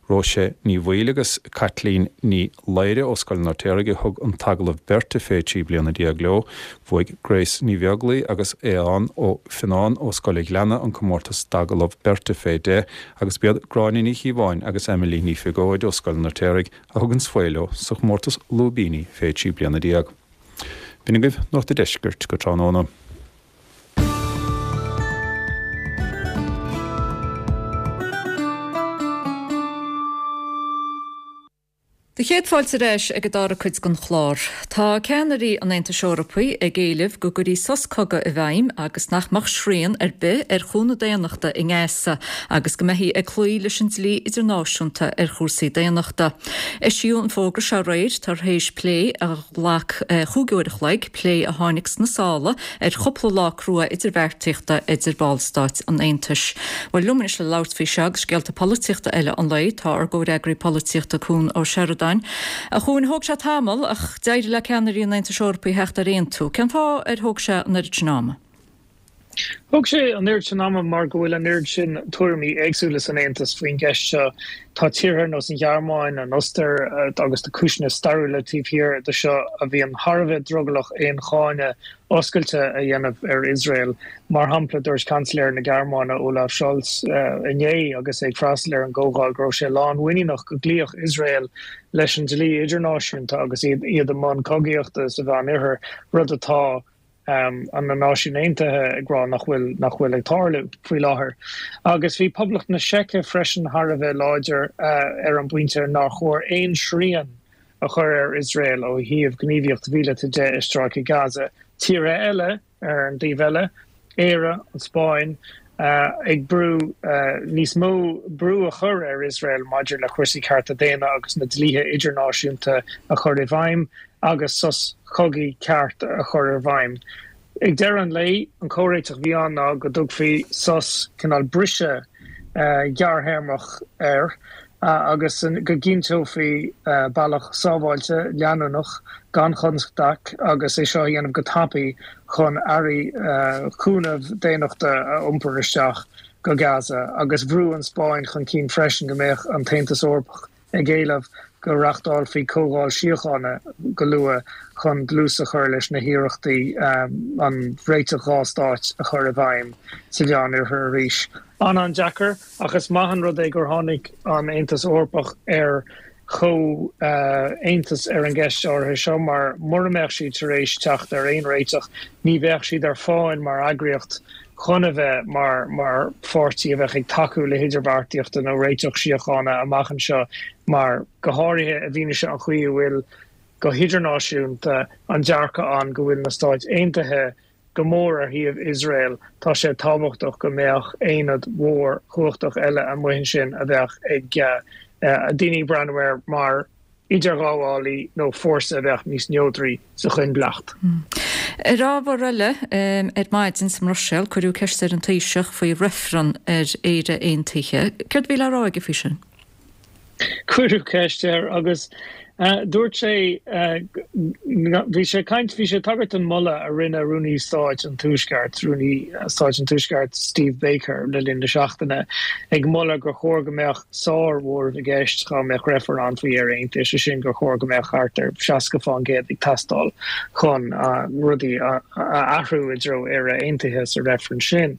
Róise Ní Bhaoill agus Caitlín Ní Laoire ó Scoil an Fheirtéaraigh a thug an t-agallamh beirte fé 13 bliana leo. Bhuaigh Grace Ní Bheaglaoi agus Aodhán Ó Fionnáin ó Scoil an Ghleanna an comórtas d'agallamh beirte fé 10 agus b'iad Gráinne Ní Chíobháin agus Emily Ní Phiogóid ó Scoil an Fheirtéaraigh a thug an svae leo sa chomórtas lúibíní fé 13 bliana. B'in agaibh Nuacht an Deiscirt go tráthnóna. Do chéad fáilte ar ais ag an dara cuid den chlár. Tá ceannairí an Aontais Eorpaigh ag éileamh go gcuirfí sos cogaidh i bhfeidhm agus nach mbeadh srian ar bith ar chúnamh daonnachta i nGaza agus go mbeifí ag cloí leis an dlí idirnáisiúnta ar chúrsaí daonnachta. Eisíodh an fógra seo aréir tar éis plé a ghlac chúig uair a chloig, plé a tháinig sna sála ar chúpla lá crua idirbheartaíochta idir ballstáit an Aontais. Bhuel, liom anois le labhairt faoi seo agus scéalta polaitíochta eile an lae, tá ár gcomhfhreagraí polaitíochta Cuan Ó Seireadáin. A Chuain, thóg sé tamall ach d'éirigh le ceannairí an Aontais Eorpaigh theacht ar aontú. Cén fáth ar thóg sé an oiread sin ama? Thóg sé an oiread sin ama mar go bhfuil an oiread sin tuairimí éagsúla san Aontas faoin gceist seo. Tá tíortha ar nós an Ghearmáin, an Ostair agus tá cúiseanna stairiúla taobh thiar de seo a bhíonn thar a bheith drogallach aon cháineadh oscailte a dhéanamh ar Iosrael. Mar shampla, dúirt Seansailéir na Gearmáine, Olaf Scholz, inné agus é ag freastal ar an gcomhdháil go raibh sé lánmhuiníneach go gcloífeadh Iosrael leis an dlí idirnáisiúnta agus iad i mbun cogaíochta sa Mheánoirthear, rud atá na Náisiúin Aontaithe ag rá nach bhfuil nach bhfuil ag tarlú faoi láthair. Agus bhí Poblacht na Seice freisin thar a bheith láidir ar an bpointe nár chóir aon srian a chur ar Iosrael ó thaobh gníomhaíocht mhíleata de i Stráice Gaza. Tíortha eile, ar an dtaobh eile, Éire, an Spáinn, ag brú níos mó brú a chur ar Iosrael maidir le cúrsaí cearta daonna agus na dlíthe idirnáisiúnta a chur i bhfeidhm agus sos cogaidh ceart a chur i bhfeidhm. Ag deireadh an lae, an comhréiteach a bhí ann ná go dtugfaí sos, cineál briseadh gearrthéarmach air agus go gcinnteofaí bealach sábháilte, leanúnach, gan chonstaic agus é seo a dhéanamh go tapaidh chun earraí cúnaimh daonnachta a iompar isteach go Gaza. Agus bhrú an Spáinn chun cinn freisin go mbeadh an tAontas Eorpach ag éileamh go reachtálfaí comhdháil síochána go luath chun dlús a chur leis na hiarrachtaí an réiteach dhá stáit a chur i bhfeidhm sa Mheánoirthear arís. An-an-deacair, ach is maith an rud é gur tháinig an Aontas Eorpach ar chomhaontas ar an gceist áirithe seo mar mura mbeadh siad tar éis teacht ar aon réiteach ní bheadh siad ar fáil mar eagraíocht chun a bheith mar mar pháirtí a bheadh ag tacú le hidirbheartaíochta nó réiteach síochána amach anseo mar, go háirithe i bhfianaise an chaoi a bhfuil go hidirnáisiúnta an dearcadh ann go bhfuil na Stáit Aontaithe go mór ar thaobh Iosrael, tá sé tábhachtach go mbeadh aonad mhór chumhachtach eile amuigh ansin a bheadh ag daoine ag breathnú air mar idirghabhálaí nó fórsa a bheadh níos neodraí sa choinbhleacht. Ar ábhar eile, ar maidin sa mBruiséil cuireadh ceist ar an Taoiseach faoi reifreann ar Éire Aontaithe. Céard a bhí le rá aige faoi sin? Cuireadh ceist air agus dúirt sé, bhí sé ag caint, bhí sé ag tagairt don mholadh a rinne Rúnaí Stáit an Tuaiscirt, Rúnaí Stáit an Tuaiscirt Steve Baker le linn na seachtaine, ag moladh gur chóir go mbeadh sár-mhóramh i gceist dá mbeadh reifreann ann faoi Éire Aontaithe, sé sin gur chóir go mbeadh thart ar 60% ag teastáil chun rudaí a athrú i dtreo Éire Aontaithe sa reifreann sin.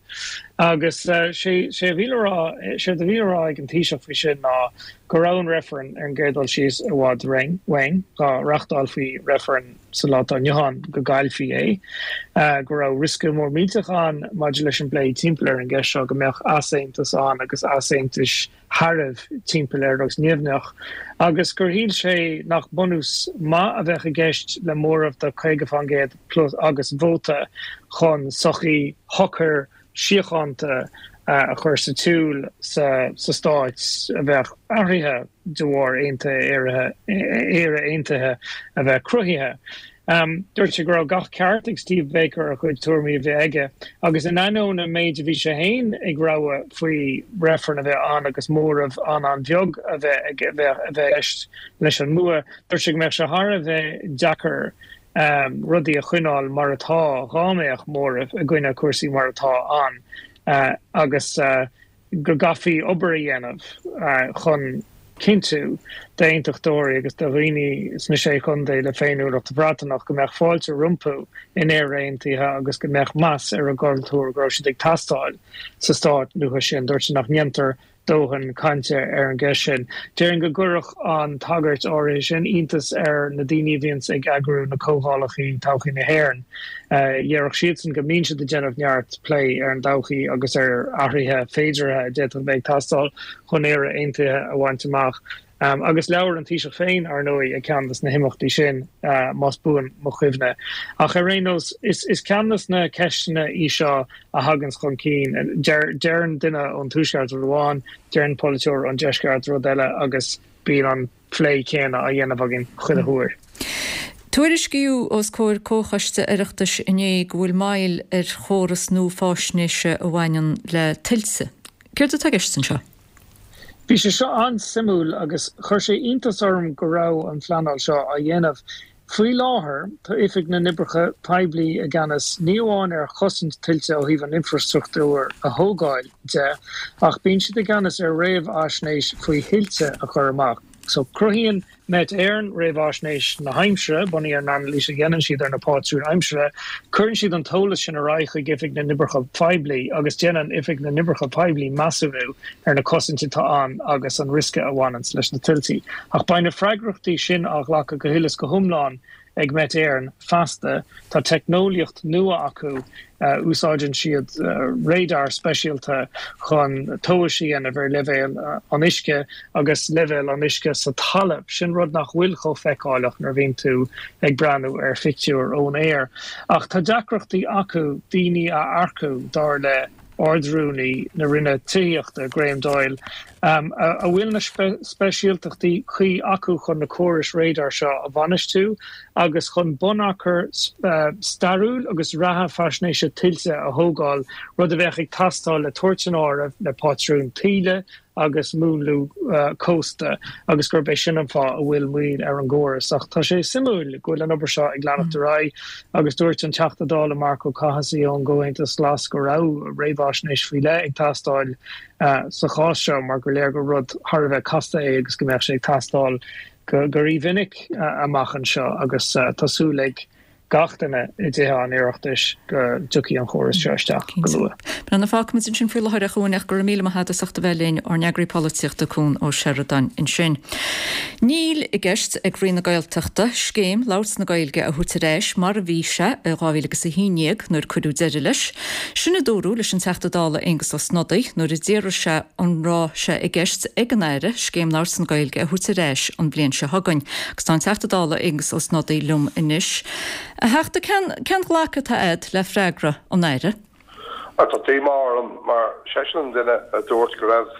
Agus sé a bhí le rá, séard a bhí le rá ag an Taoiseach faoi sin ná go raibh an reifreann ar an gcéad dul síos i bhfad uainn, dá reachtálfaí reifreann sa lá atá inniu ann go gcaillfí é, go raibh riosca mór millteach ann maidir leis an bplé timpeall ar an gceist seo, go mbeadh easaontas ann agus easaontais shearbh timpeall air agus nimhneach, agus gur shíl sé nach bunús maith a bheadh i gceist le móramh de 50% plus agus vóta chun sochaí shocair síochánta a chur sa tsiúl sa stáit a bheadh athraithe de bharr Éire Aontaithe a bheith cruthaithe. Dúirt sé go raibh gach ceart ag Steve Baker a chuid tuairimí a bheith aige agus in ainneoin an méid a bhí sé féin ag rabhadh faoi reifreann a bheith ann agus móramh an-an-bheag a bheith i gceist leis an mbua, dúirt sé go mbeadh sé thar a bheith deacair rudaí a choinneáil mar atá dhá mbeadh móramh i gcoinne cúrsaí mar atá ann agus go gcaithfí obair a dhéanamh chun cinntiú d'aontachtóirí agus do dhaoine sna Sé Chontae le féiniúlacht Bhreatanach go mbeadh fáilte rompu in Éire Aontaithe agus go mbeadh meas ar a gcultúr, go raibh siad ag teastáil sa stát nua sin. Dúirt sé nach ndéantar dóthain cainte ar an gceist sin. Déarfainn go gcuirfeadh an tagairt áirithe sin iontas ar na daoine a bhíonns ag eagrú na comhdhálacha Todhchaí na hÉireann. Dhéarfadh siadsan go mbíonn siad ag déanamh neart plé ar an dtodhchaí agus ar athruithe féideartha a d'fhéadfadh a bheith ag teastáil chun Éire Aontaithe a bhaint amach. Agus labhair an Taoiseach féin, ar ndóigh, ag ceann de na himeachtaí sin, más buan mo chuimhne. Ach ar aon nós, is ceann de na ceisteanna í seo a thaganns chun cinn. Deireann duine ón Tuaisceart rud amháin, deireann polaiteoir ón Deisceart rud eile agus bíonn an plé céanna á dhéanamh againn chuile huair. Tuairiscíodh os comhair Comhchoiste Oireachtais inné go bhfuil moill ar chóras nua fáisnéise a bhaineann le tuilte. Céard atá i gceist anseo? Bhí sé seo an-suimiúil agus chuir sé iontas orm go raibh an phleanáil seo á dhéanamh. Faoi láthair, tá Oifig na nOibreacha Poiblí i gceannas ní amháin ar chosaint tuilte ó thaobh an infreastruchtúr a thógáil de, ach bíonn siad i gceannas ar réamhaisnéis faoi thuilte a chur amach. So, cruthaíonn Met Éireann réamhaisnéis na haimsire, bunaithe ar an anailís a dhéanann siad ar na pátrúin aimsire. Cuireann siad an t-eolas sin ar aghaidh chuig Oifig na nOibreacha Poiblí agus déanann Oifig na nOibreacha Poiblí measúnú ar na cosaintí atá ann agus an riosca a bhaineanns leis na tuiltí. Ach beidh na freagrachtaí sin á ghlacadh go huile is go hiomlán ag Met Éireann feasta. Tá teicneolaíocht nua acu, úsáideann siad radar speisialta chun tomhais a dhéanamh ar leibhéal an uisce agus leibhéal an uisce sa talamh. Sin rud nach bhfuil chomh feiceálach nuair a bhíonn tú ag breathnú ar phictiúr ón aer. Ach tá deacrachtaí acu daoine a earcú, dar le Ard-Rúnaí na Roinne Tithíochta, Graham Doyle, a bhfuil na speisialtachtaí cuí acu chun na córais radar seo a bhainistiú agus chun bunachar stairiúil agus reatha faisnéise tuilte a thógáil, rud a bheadh ag teastáil le tabhairt san áireamh le pátrúin taoille agus múnlú cósta agus gurb é sin an fáth a bhfuil moill ar an gcóras. Ach tá sé suimiúil go bhfuil an obair seo ag leanacht ar aghaidh agus dúirt an Teachta Dála Marc Ó Cathasaigh ón gComhaontas Glas go raibh réamhaisnéis faoi leith ag teastáil sa chás seo mar gur léir gur rud thar a bheith casta é agus go mbeadh sé ag teastáil go rímhinic amach anseo agus tá súil ag gach duine i dTithe an Oireachtais go dtiocfaidh an chóras seo isteach go luath. Bhuel, fágfaimid ansin faoi láthair a Chuain ach go raibh míle maith agat as ucht a bheith linn, ár n-eagraí polaitíochta Cuan Ó Seireadáin ansin. Níl i gceist ag Roinn na Gaeltachta scéim labhairt na Gaeilge a thabhairt ar ais mar a bhí sé i 2011 nuair cuireadh deireadh leis. Sin a dúradh leis an Teachta Dála Aengus Ó Snodaigh nuair a d'fhiafraigh sé an raibh sé i gceist ag an Aire Scéim Labhairt na Gaeilge a thabhairt ar ais an bhliain seo chugainn. Agus tá an Teachta Dála Aengus Ó Snodaigh liom anois. A Theachta, cén cén ghlacadh atá agat le freagra an Aire? Bhuel, tá díomá orm mar seisean an duine a dúirt go raibh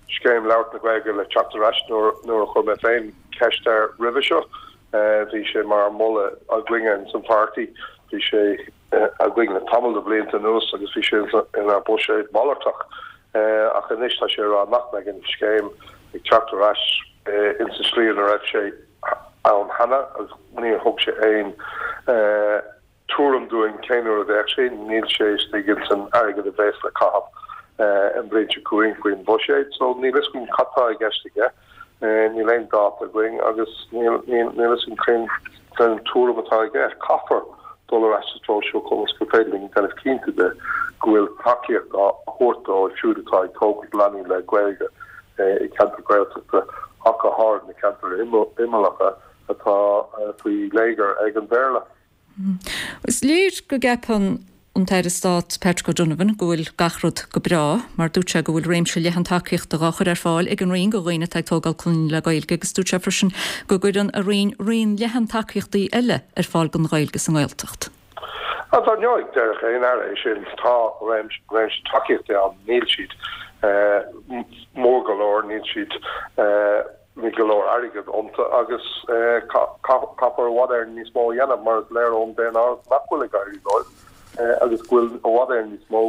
Scéim Labhairt na Gaeilge le teacht ar ais nuair nuair a chuir mé féin ceist air roimhe seo. Bhí sé mar mholadh againne ins an pháirtí. Bhí sé againn le tamall de bhlianta anuas agus bhí sé inár buiséad malartach ach anois tá sé ag rá nach mbeidh an scéim ag teacht ar ais ins an slí ina raibh sé ann cheana agus níor thug sé aon tuairim dúinn cén uair a bheadh sé. Níl sé istigh ins an airgead a bheas le caitheamh an bhliain seo chugainn faoin bhuiséad so níl fhios againn cad tá i gceist aige. Níl aon dáta againn agus níl fhios againn cén tuairim atá aige. Caithfear dul ar ais sa treo seo conas gur féidir linn déanamh cinnte de go bhfuil tacaíocht á thabhairt dóibh siúd atá ag tógaint leanaí le Gaeilge i gceantar Gaeltachta ach go háirid na ceantair imeallacha atá faoi léigear ag an Bhéarla. Is léir go gceapann an tAire Stáit Patrick O'Donovan go bhfuil gach rud go breá, mar dúirt sé go bhfuil réimse leathan tacaíochta dhá chur ar fáil ag an Roinn do dhaoine atá ag tógáil clainne le Gaeilge agus dúirt sé freisin go gcuireann a Roinn raon leathan tacaíochtaí eile ar fáil don Ghaeilge sa nGaeltacht. Dar ndóigh, déarfadh aon Aire é sin. Tá réimse tacaíochtaí ann, níl siad mór go leor, níl siad. Níl go leor airgid iontu agus caithfear i bhfad Éireann níos mó a dhéanamh mar is léir ón daonáireamh nach bhfuil ag éirí leo agus go bhfuil i bhfad Éireann níos mó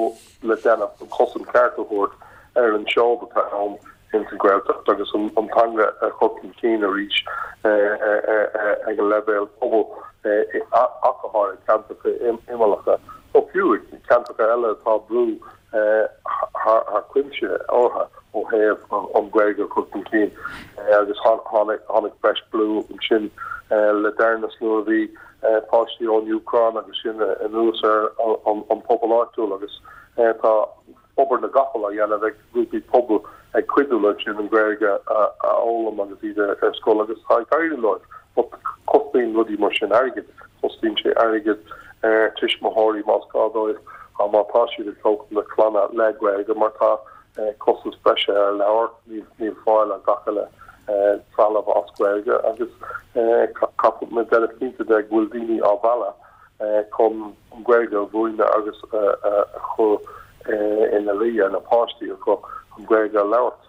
le déanamh chun cosaint cheart a thabhairt ar an seod atá ann ins an Ghaeltacht agus an teanga a chur chun cinn arís ag an leibhéal pobail ach go háirithe ceantracha imeallacha nó fiú ceantracha eile atá brú thar cuimse orthu ó thaobh an Ghaeilge a chur chun cinn agus tháinig breis brú ansin le deireanas nuair a bhí páistí ón Úcráin agus sin anuas ar an pobal áitiúil agus tá obair na gcapall á dhéanamh ag grúpaí pobail ag cuidiú leo sin an Ghaeilge a fhoghlaim agus iad ar scoil agus tá ag éirí leo but cosnaíonn rudaí mar sin airgead, cosnaíonn sé airgead ar tuismitheoirí más gá dóibh má tá siad ag tógáil na clainne le Gaeilge mar tá costas breise ar leabhair, níl fáil ar gach uile. trealamh as Gaeilge agus caithfidh muid déanamh cinnte de go bhfuil daoine á mhealladh chun an Ghaeilge a mhúineadh agus a chur ina luí ar na páistí acu an Ghaeilge a labhairt.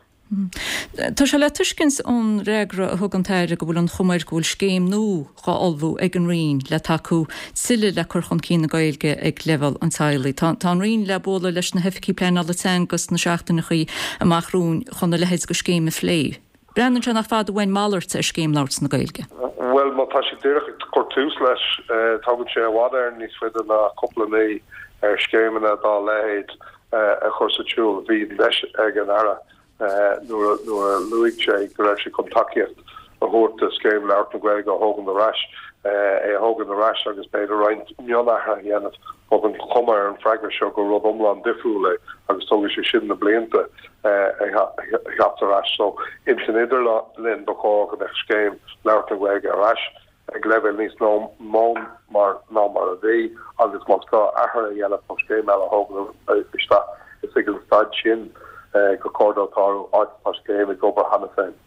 Tá sé le tuiscint ón fhreagra a thug an tAire go bhfuil an chuma air go bhfuil scéim nua dhá ullmhú ag an Roinn le tacú tuilleadh le cur chun cinn na Gaeilge ag leibhéal an teaghlaigh. Tá an Roinn le bualadh leis na hoifigigh pleanála teanga sna seachtaineachaí amach romhainn chun a leithéid de scéim a phlé. Breathnaíonn sé nach fada uainn malairt ar scéim labhairt na Gaeilge. Bhuel, má tá siad díreach ag cur tús leis, tógann sé i bhfad Éireann níos faide ná cúpla mí ar scéimeanna dá leithéid a chur sa tsiúl. Bhí an deis ag an Aire nuair a luaigh sé go raibh sé chun tacaíocht a thabhairt do Scéim Labhairt na Gaeilge a thógaint ar ais, é a thógaint ar ais agus b'fhéidir roinnt mionathruithe a dhéanamh. But an chuma ar an bhfreagra seo gur rud iomlán difriúil é agus tógfaidh sé sin na blianta a theacht ar ais. So ins an idirlinn ba chóir go mbeadh Scéim Labhairt na Gaeilge ar ais. ag leibhéal níos mó ná mar a bhí agus más gá athruithe a dhéanamh nó scéim eile a thógaint isteach, is ag an staid sin gur chóir dó tarlú, áit atá scéim ag obair cheana féin.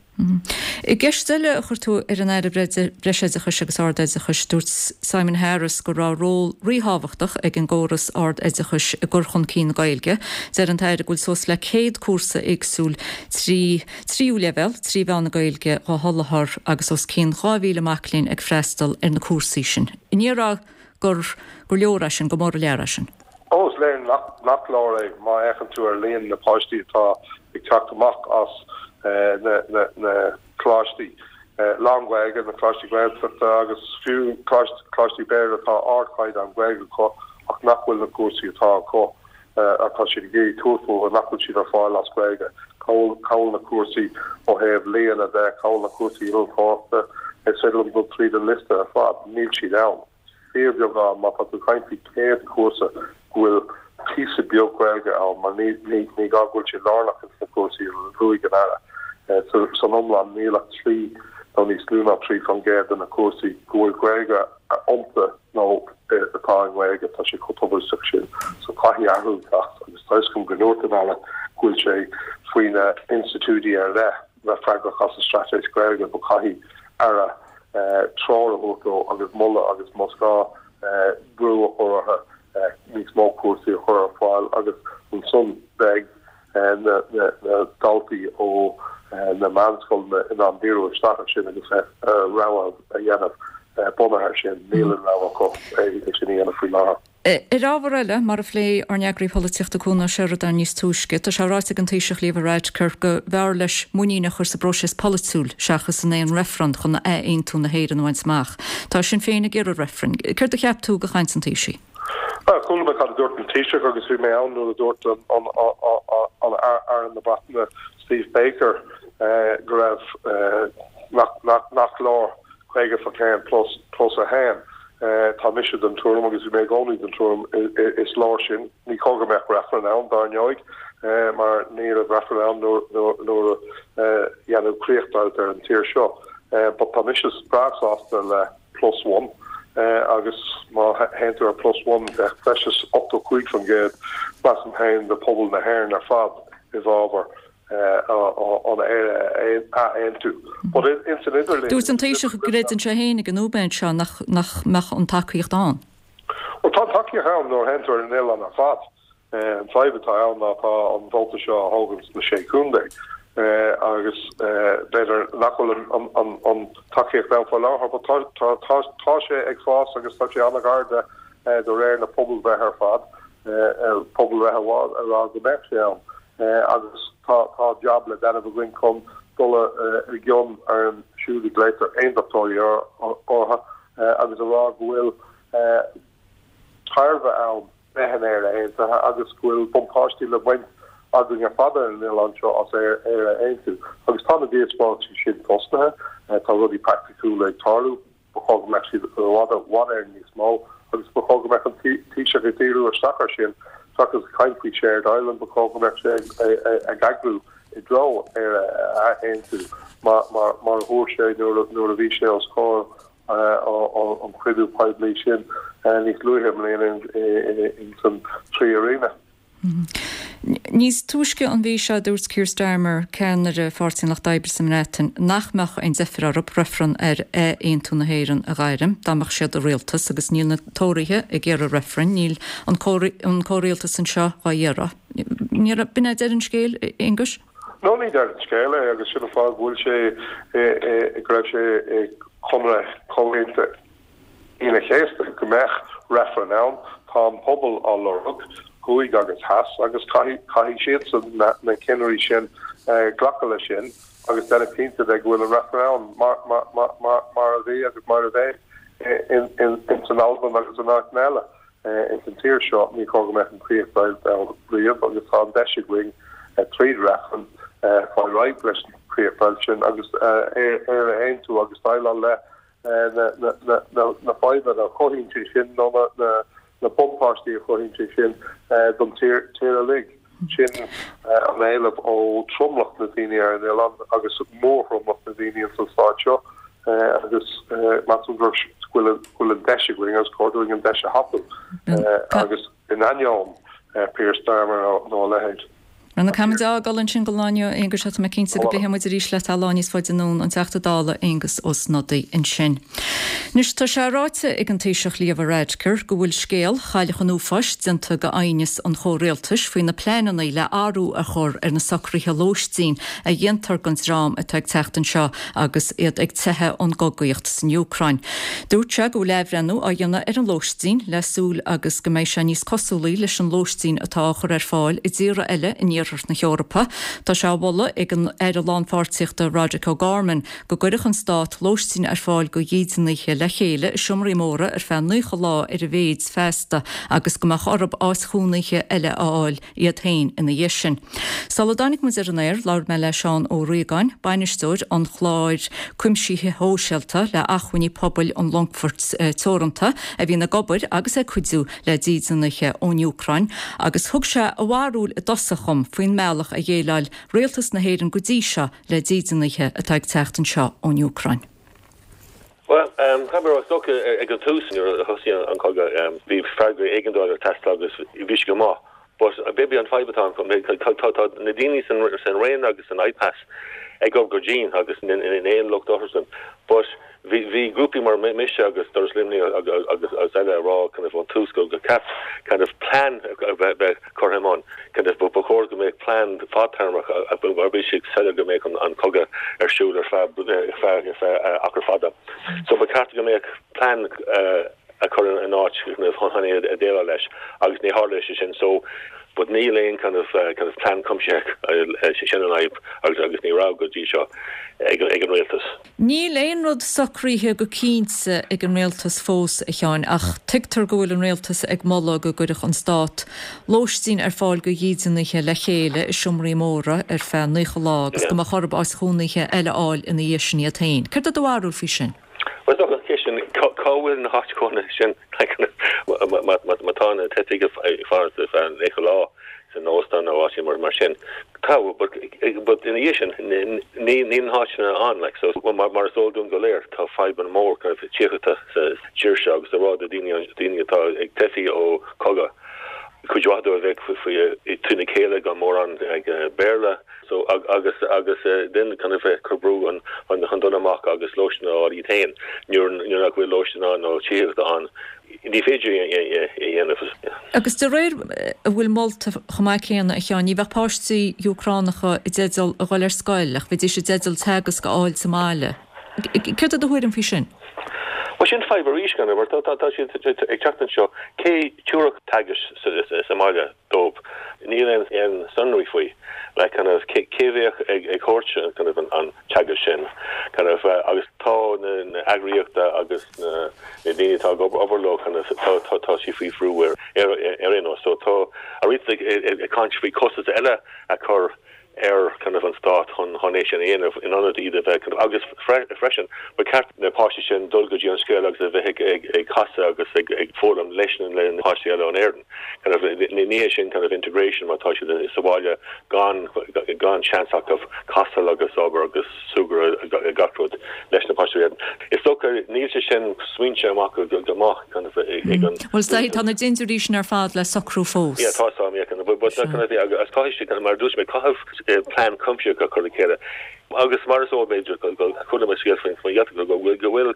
I gceist eile a chuir tú ar an Aire Breisoideachais agus Ard-Oideachais, dúirt Simon Harris go raibh ról ríthábhachtach ag an gcóras ard-oideachais i gcur chun cinn na Gaeilge. Deir an tAire go bhfuil suas le 100 cúrsa éagsúil trí. tríú leibhéal, 3 mheán na Gaeilge dhá sholáthar agus os cionn 2,000 mac léinn ag freastal ar na cúrsaí sin. An ndéarfá gur gur leor é sin, gur mór an lear é sin? Ó, is léir nach leor é má fhéachann tú ar líon na páistí atá ag teacht amach as na coláistí lán-Ghaeilge, na coláistí Gaeltachta agus fiú coláistí Béarla atá ardchaighdeán Gaeilge acu ach nach bhfuil na cúrsaí atá acu atá siad ag iarraidh tabhairt fúthu, nach bhfuil siad ar fáil as Gaeilge. Cá bhfuil na cúrsaí ó thaobh ealaíona de, cá bhfuil na cúrsaí innealtóireachta, is féidir liom dul tríd an liosta ar fad, níl siad ann. Fíorbheagán, má tá tú ag caint faoi 100 cúrsa go bhfuil píosa beag Gaeilge ann, mar ní ní gá go bhfuil sé lárnach ins na cúrsaí a luaigh an Aire. San iomlán níl ach 3 nó níos lú ná 3% de na cúrsaí go bhfuil Gaeilge iontu nó atá i nGaeilge, tá sé chomh tubaisteach sin. So caithfidh athrú teacht agus tá 'fhios agam go ndúirt an Aire go bhfuil sé faoi na institiúidí ar leith bheith freagrach as an straitéis Ghaeilge but caithfidh Aire treoir a thabhairt dó agus moladh agus más gá brú a chur orthu níos mó cúrsaí a chur ar fáil agus ansan beidh na daltaí ó na meánscoileanna in ann díriú isteach air sin agus rogha a dhéanamh bunaithe air sin. Níl an rogha acu é sin a dhéanamh faoi láthair. Ar ábhar eile, mar a phléigh ár n-eagraí polaitíochta Cuan Ó Seireadáin níos túisce, tá sé ráite ag an Taoiseach Leo Varadkar go mb'fhearr leis muinín a chur sa bpróiseas polaitiúil seachas in aon reifreann chun athaontú na hÉireann a bhaint amach. Tá Sinn Féin ag iarraidh reifrinn. Céard a cheap tú de chaint an Taoisigh? Bhuel, chuala mé cad a dúirt an Taoiseach agus bhí mé ann nuair a dúirt an Aire na Breataine Steve Baker go raibh nach leor 50% plus plus 1. Tá mise den tuairim agus bhí mé i gcónaí den tuairim is leor sin. Ní chóir go mbeadh reifreann ann, dar ndóigh, mar ní raibh reifreann ann nuair a dhéanadh críochdheighilt ar an tír seo. But tá mise breá sásta le plus one agus má théann tú ar plus one bheadh breis is 85% measaim féin de phobal na hÉireann ar fad i bhfabhar an Éire a aontú. But ins an idirlinn. Dúirt an Taoiseach go gcreideann sé féin ag an nóiméad seo nach mbeadh an tacaíocht ann. Bhuel tá an tacaíocht ann nuair a théann tú ar an oileán ar fad. An fadhb atá ann ná tá an vóta seo á thógaint sna Sé Chontae agus b'fhéidir nach bhfuil an tacaíocht ann faoi láthair but tá sé ag fás agus tá sé an-ghar de de réir na pobalbhreithe ar fad, pobalbhreith amháin a rá go mbeadh sé ann agus tá jab le déanamh againn chun dul i gcion ar an siúd a ghlaotar aondachtóirí orthu agus a rá go bhfuil tairbhe ann bheith in Éire Aontaithe agus go bhfuil buntáistí le baint againn ar fad ar an oileán seo as Éire a aontú. Agus tá na díospóireachtaí sin tosnaithe, tá rudaí praiticiúla ag tarlú, ba chóir go mbeadh siad i bhfad i bhfad Éireann níos mó agus ba chóir go mbeadh an Taoiseach ag díriú isteach air sin seachas ag caint faoi Shared Ireland, ba chóir go mbeadh sé ag eagrú i dtreo Éire a aontú mar a dúirt sé nuair a bhí sé os comhair an chruinniú poiblí sin níos luaithe i mbliana ins an Trí Airíonna. Níos túisce an mhí seo dúirt Keir Starmer, ceannaire Pháirtí an Lucht Oibre sa mBreatain, nach mbeadh aon deifir orthu reifreann ar ath-aontú na hÉireann a ghairm dá mbeadh siad i rialtas agus níl na Tóraithe ag iarraidh reifrinn, níl an comhrialtas anseo dhá iarraidh. B'in é deireadh an scéil, a Aonghuis? No, ní deireadh an scéil é agus sin an fáth go bhfuil sé, go raibh sé i gconradh Chomhaontú Aoine an Chéasta go mbeadh reifreann ann. Tá an pobal á lorg, thuaidh agus theas, agus caithfidh siadsan, na cinnirí sin, glacadh leis sin agus déanamh cinnte de go bhfuil an reifreann ann mar a bhí agus mar a bheidh ins an Albain agus in áiteanna eile ins an tír seo. Ní chóir go mbeadh an chríochdheighilt ann riamh agus tá an deis againn tríd reifreann fáil réidh leis an chríochdheighilt sin agus Éire a aontú agus déileáil le na fadhbanna a chothaíonn sé sin nó na buntáistí a chothaíonn sé sin don tír uilig. Sin an éileamh ó tromlach na daoine ar an oileán agus mórthromlach na daoine ins an stát seo agus measaim go bhfuil an deis againn agus chóir dúinn an deis a thapú agus in ainneoin Peter Starmer nó a leithéid. Bhuel, caithfimid a fhágáil ansin don lá inniu, a Aonghuis, tá mé cinnte go bpléifidh muid arís leat lá níos faide anonn, an Teachta Dála Aengus Ó Snodaigh ansin. Anois, tá sé ráite ag an Taoiseach Leo Varadkar go bhfuil scéal Chailleach an Uafáis déanta de aighneas an chomhrialtais faoi na pleananna le athrú a chur ar na socruithe lóistín a dhéantar don dream atá ag teacht anseo agus iad ag teitheadh ón gcogaíocht san Úcráin. Dúirt sé go bhfuil athbhreithniú á dhéanamh ar an lóistín le súil agus go mbeidh sé níos cosúlaí leis an lóistín atá á chur ar fáil i dtíortha eile in iarthar na hEorpa. Tá sé á mholadh ag an Aire Lánpháirtíochta Roderic O'Gorman go gcuirfeadh an stát lóistín ar fáil do dhídeanaithe le chéile i seomraí móra ar feadh 90 lá ar a mhéid feasta agus go mbeadh orthu áit chónaithe eile a fháil iad féin ina dhiaidh sin. Sula dtáinig muid ar an aer, labhair mé le Seán Ó Riagáin, bainisteoir an chláir cuimsithe shóisialta le Acmhainní Pobail an Longfoirt Teoranta, a bhíonn ag obair agus ag cuidiú le dídeanaithe ón Úcráin, agus thug sé a bharúil i dtosach dhom faoin mbealach a dhéileáil Rialtas na hÉireann go dtí seo le dídeanaithe atá ag teacht anseo ón Úcráin. Bhuel, caithfidh mé a rá, is dócha ag an tús nuair a thosaigh an cogadh, bhí freagra éigeandála ag teastáil agus bhí sé go maith. But maybe an fadhb atá ann, tá na daoine san Roinn agus san IPAS ag obair go dian agus níl aon locht orthusan. But bhí bhí grúpaí mar mise agus Doras Luimnigh agus eile ag rá kind of ón tús go go ceart kind of plean a bheith curtha i mbun. Kind of ba chóir go mbeadh plean fadtéarmach mar bhí sé soiléir go mbeadh an cogadh ar siúl ar feadh ar feadh achar fada. So ba cheart go mbeadh plean a chur in áit kind of chun é a déileáil leis agus ní tharla sé sin. So but níl aon kind of kind of plean cuimsitheach sin an fhadhb agus agus ní raibh go dtí seo ag ag an rialtas. Níl aon rud socraithe go cinnte ag an rialtas fós, a Sheáin, ach tuigtear go bhfuil an rialtas ag moladh go gcuirfeadh an stát lóistín ar fáil do dhídeanaithe le chéile i seomraí móra ar feadh 90 lá agus go mbeadh orthu áit chónaithe eile a fháil ina dhiaidh sin iad féin. Céard é do bharúil faoi sin? Bhuel, is dócha an cheist sin, cá bhfuil na háit chónaithe sin? Má tá na teifigh ag fanacht ar feadh 90 lá san óstán nó áit mar sin, Tá, but but ina dhiaidh sin, níl na háiteanna ann, like, so mar is eol dúinn go léir, tá fadhbanna mór kind of tithíochta sa tír seo agus a rá do daoine, daoine atá ag teifí ó cogadh, cuid mhaith dóibh a bheith faoi trína chéile gan mórán Béarla, so agus agus then kind of cur brú an chun dul amach agus lóistín a fháil iad féin nuair nuair nach bhfuil lóistín ann nó tithíocht ann. Ní féidir é a dhéanamh. Agus de réir a bhfuil molta chomh maith céanna, a Sheáin, ní bheadh páistí Úcránacha i dteideal a dhul ar scoil ach bheidís i dteideal teagasc a fháil sa mbaile. Céard é do thuairim faoi sin? Bhuel, sin fadhb arís, gan mar tá siad ag teacht anseo, cé tabharfadh teagasc sa mbaile dóibh? Níl aon sonraí faoi, like kind of cé bheadh ag thabhairt kind of an teagasc sin kind of agus tá na eagraíochta agus na daoine atá ag obair leo kind of tá tá tá siad faoi bhrú ar ar aon nós so tá an rialtas ag ag caint faoi costas eile a chur ar kind of an stát chun chun é sin a dhéanamh in ionad iad a bheith kind of agus freisin ba cheart na páistí sin dul go dtí an scoil agus a bheith ag ag ag casadh agus ag ag foghlaim leis na le na páistí eile ón Éirinn kind of ní hé sin kind of integration má tá siad sa bhaile gan gan seans acu casadh agus obair agus súgradh gach rud leis na páistí. Is dócha níl sé sin smaointe amach go maith kind of ag an. Bhuel, tá na dintiúirí sin ar fad le socrú fós. Yeah, tá a fhios agam, yeah, kind of, but. but kind of agus caithfidh siad, mar a dúirt mé, caithfidh plean cuimsitheach a chur le chéile. Agus mar is eol b'fhéidir go chuala mé scéal faoin Ghaeltacht go bhfuil go bhfuil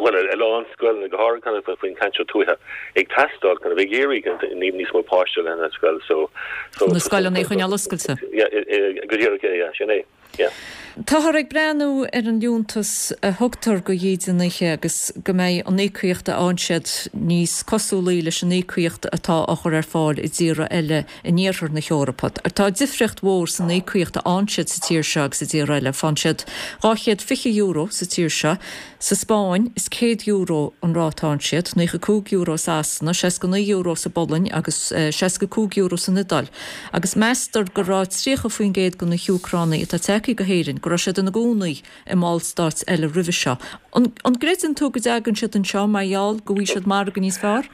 bhuel a lán scoileanna go háirithe kind of faoin gceantar tuaithe ag teastáil kind of ag iarraidh kind of níos mó páiste lena scoil so so Na scoileanna a choinneáil oscailte. Yeah go díreach yeah sin é yeah. Táthar ag breathnú ar an liúntas a thugtar go dhídeanaithe agus go mbeidh an íocaíocht a fhaigheann siad níos cosúlaí leis an íocaíocht atá á chur ar fáil i dtíortha eile in iarthar na hEorpa. Tá difríocht mhór san íocaíocht a fhaigheann siad sa tír seo agus i dtíortha eile. Faigheann siad €220 sa tír seo. Sa Spáinn, is €100 an ráta a fhaigheann siad, €95 i Sasana, €69 sa bPolainn agus €65 san Iodáil. Agus meastar go raibh 30% de na hÚcránaigh atá tagtha go hÉirinn, go raibh siad ina gcónaí i mballstáit eile roimhe seo. An gcreideann tú go dtagann siad anseo mar gheall go bhfaighidh siad margadh níos fearr?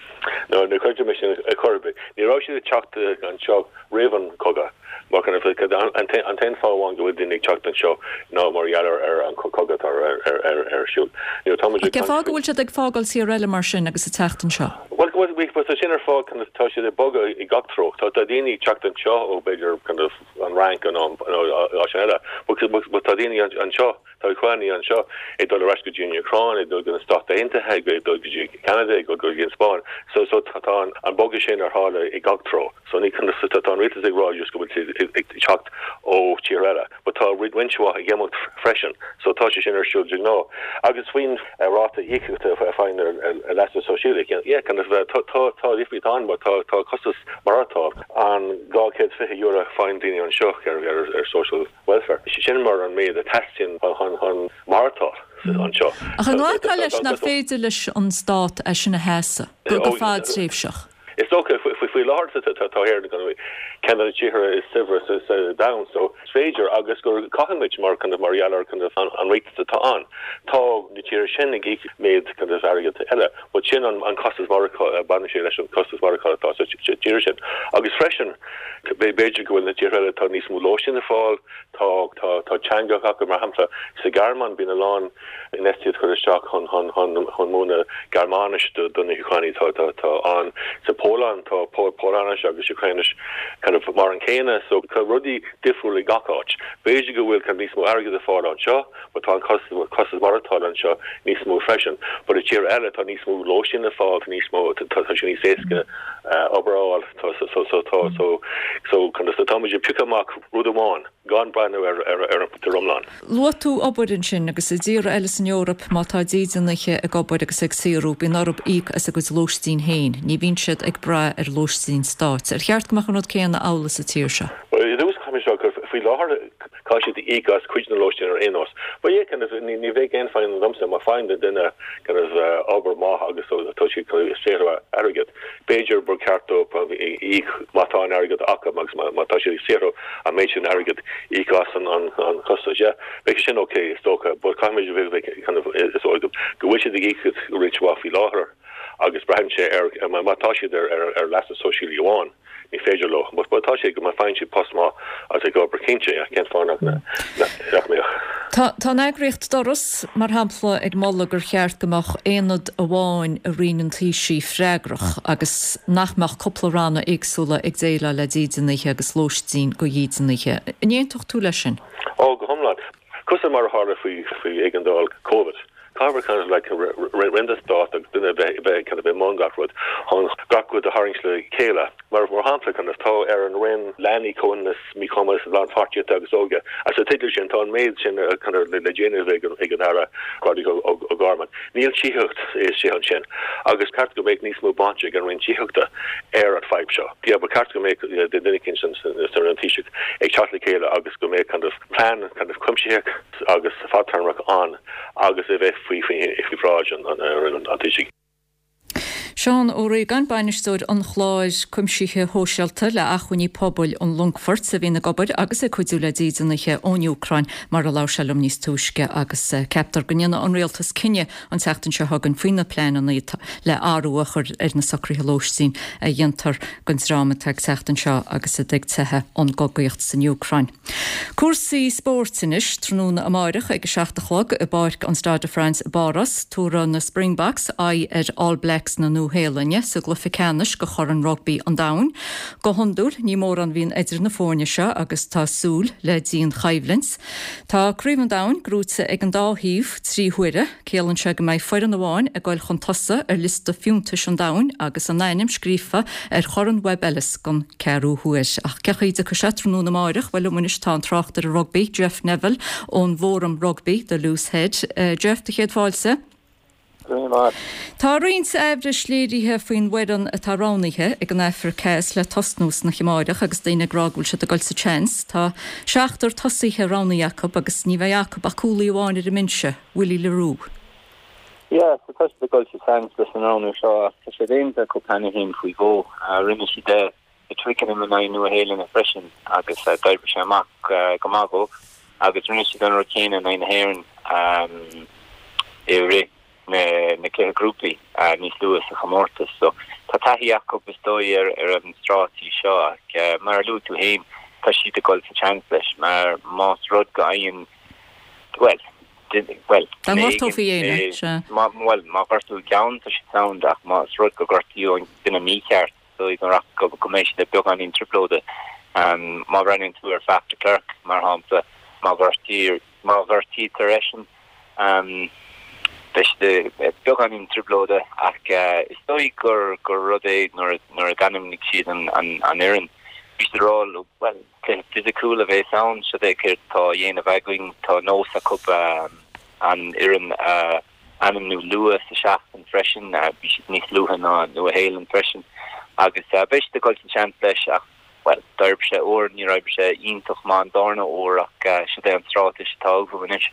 No, ní chreidim é sin ar chor ar bith. Ní raibh siad ag teacht anseo roimh an chogadh. Mar kind of an t-aon fáth amháin go bhfuil daoine ag teacht anseo ná mar gheall ar an chogadh atá ar siúl. You know, tá muid ag Cén fáth go bhfuil siad ag fágáil tír eile mar sin agus ag teacht anseo? Bhuel, tá sin ar fáth, kind of, tá siad ag bogadh i gach treo. Tá daoine ag teacht anseo ó b'fhéidir kind of an Fhrainc nó áiteanna eile. But tá daoine anseo, tá Úcránaigh anseo ag dul ar ais go dtí an Úcráin, ag dul go na Stáit Aontaithe, ag dul go dtí Ceanada, ag dul go dtí an Spáinn. So so tá an bogadh sin ar tharla i gach treo. So ní tá an rialtas ag rá just go bhfuil siad ag teacht ó tír eile. But tá roinnt mhaith ag imeacht freisin. So tá sé sin ar siúl de ghnáth. Agus faoin ráta íocaíochta a faigheann ar leasa sóisialaigh, yeah, kind of tá tá difríocht ann mar tá tá costas maireachtála. An €220 a faigheann daoine anseo ar social welfare, sin mar an méid a teastaíonn chun maireachtáil anseo. Ach an nglacfá leis nach féidir leis an stát é sin a sheasamh go fadtréimhseach? Is dócha, faoi láthair tá Éire ceann de na tíortha is saibhre sa domhan so is féidir agus gur caithfimid mar kind of mar gheall ar kind of an riachtanas atá ann. Tá na tíortha sin ag íoc méid kind of airgead eile but sin an costas maireachtála, baineann sé leis an costas maireachtála atá sa tír sin. Agus freisin, b'fhéidir go bhfuil na tíortha eile, tá níos mó lóistín ar fáil, tá, tá, tá teanga acu, mar shampla, sa Ghearmáin bíonn a lán infheistíocht curtha isteach chun, chun, chun, chun múineadh Gearmáinis do, do na hÚcránaigh atá, atá, atá ann. Sa Pholainn tá Polainnis agus Úcráinis kind of mar an céanna, so tá rudaí difriúil i gach áit. B'fhéidir go bhfuil kind of níos mó airgead ar fáil anseo, But tá an costas maireachtála anseo níos mó freisin. But i tír eile tá níos mó lóistín le fáil, tá níos mó, tá sé níos éasca obair a fháil. Tá so so tá so so kind of so táimid ag piocadh amach rud amháin gan breathnú ar ar ar an pictiúr iomlán. Luaigh tú obair ansin agus i dtíortha eile san Eoraip má tá dídeanaithe ag obair agus ag saothrú bíonn orthu íoc as a gcuid lóistín féin. Ní bhíonn siad ag brath ar lóistín stáit. Ar cheart go mbeadh an rud céanna amhlaidh sa tír seo? Bhuel, i dtús caithfidh mé a rá gur faoi láthair Caithfidh siad íoc as cuid na lóistín ar aon nós. But yeah, kind of, ní, ní bheadh aon fadhb domsa má faigheann duine kind of obair maith agus tá siad kind of ag saothrú airgead. B'fhéidir gur ceart dóibh íoc má tá an airgead acu agus má, má tá siad ag saothrú an méid sin airgead íoc as an, an, an costas. Yeah, bheadh sin ok is dócha but caithfimid a bheith kind of is dóigh go bhfuil siad ag íoc roinnt mhaith faoi láthair agus braitheann sé ar, má tá siad ar, ar, ar leasa sóisialaigh amháin. Ní féidir leo. But tá sé go má faigheann siad post maith agus ag obair cinnte, yeah, cén fáth nach mbeadh? Tá an eagraíocht Doras, mar shampla, ag moladh gur cheart go mbeadh aonad amháin i Roinn an Taoisigh freagrach agus nach mbeadh cúpla ranna éagsúla ag déileáil le dídeanaithe agus lóistín go dhídeanaithe. An aontódh tú leis sin? Ó, go hiomlán. Cosúil mar a tharla faoi éigeandáil Covid. Caithfear kind of like roinn den stát agus duine a bheith kind of i mbun gach rud chun gach rud a tharraingt le chéile. Mar mar shampla kind of tá ar an Roinn Leanaí, Comhionannas, Míchumas, Lánpháirtíochta agus Óige agus sa teideal sin tá an méid sin kind of le déanamh ag an ag an Aire Roderic O'Gorman. Níl tithíocht istigh ansin agus ceart go mbeadh níos mó baint ag an Roinn Tithíochta ar an fadhb seo. Yeah, ba cheart go mbeadh duine éicint san Roinn Taoiseach ag teacht le chéile agus go mbeadh kind of plean kind of cuimsitheach agus fadtéarmach ann agus é bheith faoi bhráid an Taoisigh. Seán Ó Riagáin, Bainisteoir an Chláir Cuimsithe Shóisialta le Acmhainní Pobail an Longfoirt, a bhíonn ag obair agus ag cuidiú le dídeanaithe ón Úcráin, mar a labhair sé liom níos túisce, agus ceaptar go ndéanfaidh an Rialtas cinneadh an tseachtain seo chugainn faoi na pleananna le athrú a chur ar na socruithe lóistín a dhéantar don dream atá ag teacht anseo agus iad ag teitheadh ón gcogaíocht san Úcráin. Cúrsaí spóirt anois, tráthnóna amáireach ag 7 a chlog i bPáirc an Stade de France i bPáras, tabharfaidh na Springboks aghaidh ar All Blacks na. Nua-Shéalainne sa gcluiche ceannais do Chorn Rugbaí an Domhain. Go hiondúil ní mórán a bhíonn idir na foirne seo agus tá súil le dian-choimhlint. Tá Craobh an Domhain gnóite ag an dá thaobh 3 huaire. Ciallaíonn sé go mbeidh foireann amháin ag goil chun tosaigh ar liosta fiúntais an domhain agus a n-ainm scríofa ar Chorn Webb Ellis don ceathrú huair. Ach cén chaoi a dtiocfaidh sé tráthnóna amáireach? Bhuel, liom anois tá an tráchtaire rugbaí, Jeff Neville ón bhfóram rugbaí, The Loose Head. Jeff, do chéad fáilte. Go raibh míle maith. Tá roinnt aimhris léirithe faoin bhfoireann atá roghnaithe ag an Afraic Theas le tosnú san oíche amáireach agus daoine ag rá go bhfuil siad ag dul sa tseans. Tá seachtar tosaithe roghnaithe acu agus ní bheidh acu ach cúlaí amháin ar an mbinse, Willie le Roux. Yeah, so tá siad ag dul sa tseans leis an roghnú seo ach tá sé déanta acu cheana féin faoi dhó. Rinne siad é i Twickenham in aghaidh Nua Shéalainne freisin agus d'oibrigh sé amach go maith dóibh agus rinne siad an rud céanna in aghaidh na hÉireann i rith na cluiche grúpaí níos luaithe sa chomórtas. So tá taithí acu is dóigh ar an stráitéis seo ach mar a luaigh tú féin tá siad ag dul sa tseans leis mar más rud go fhaigheann bhuel bhuel Dá ngortófaí éinne, sea. Bhuel má ghortaíodh ceann tá siad sound ach más rud go gortaíodh an duine mícheart dóigh go raibh go mbeidh siad i beagáinín trioblóide. Má bhreathnaíonn tú ar Faf de Klerk, mar shampla, má ghortaír, má ghortaítear eisean, beidh siad i beagáinín trioblóide ach is dóigh gur gur rud é nuair a nuair a d'ainmnigh siad an an an fhoireann, bhí siad ag rá bhuel, cluiche fisiciúil a bheas ann, siod é céard atá á dhéanamh againn, tá nós acu an fhoireann a ainmniú luath sa seachtain freisin. Bhí siad níos luaithe ná Nua-Shéalainn freisin agus beidh siad ag dul sa seans leis ach, bhuel, d'oibrigh sé uair, níor oibrigh sé iontach maith an darna huair ach siod é an stráitéis atá uathu anois.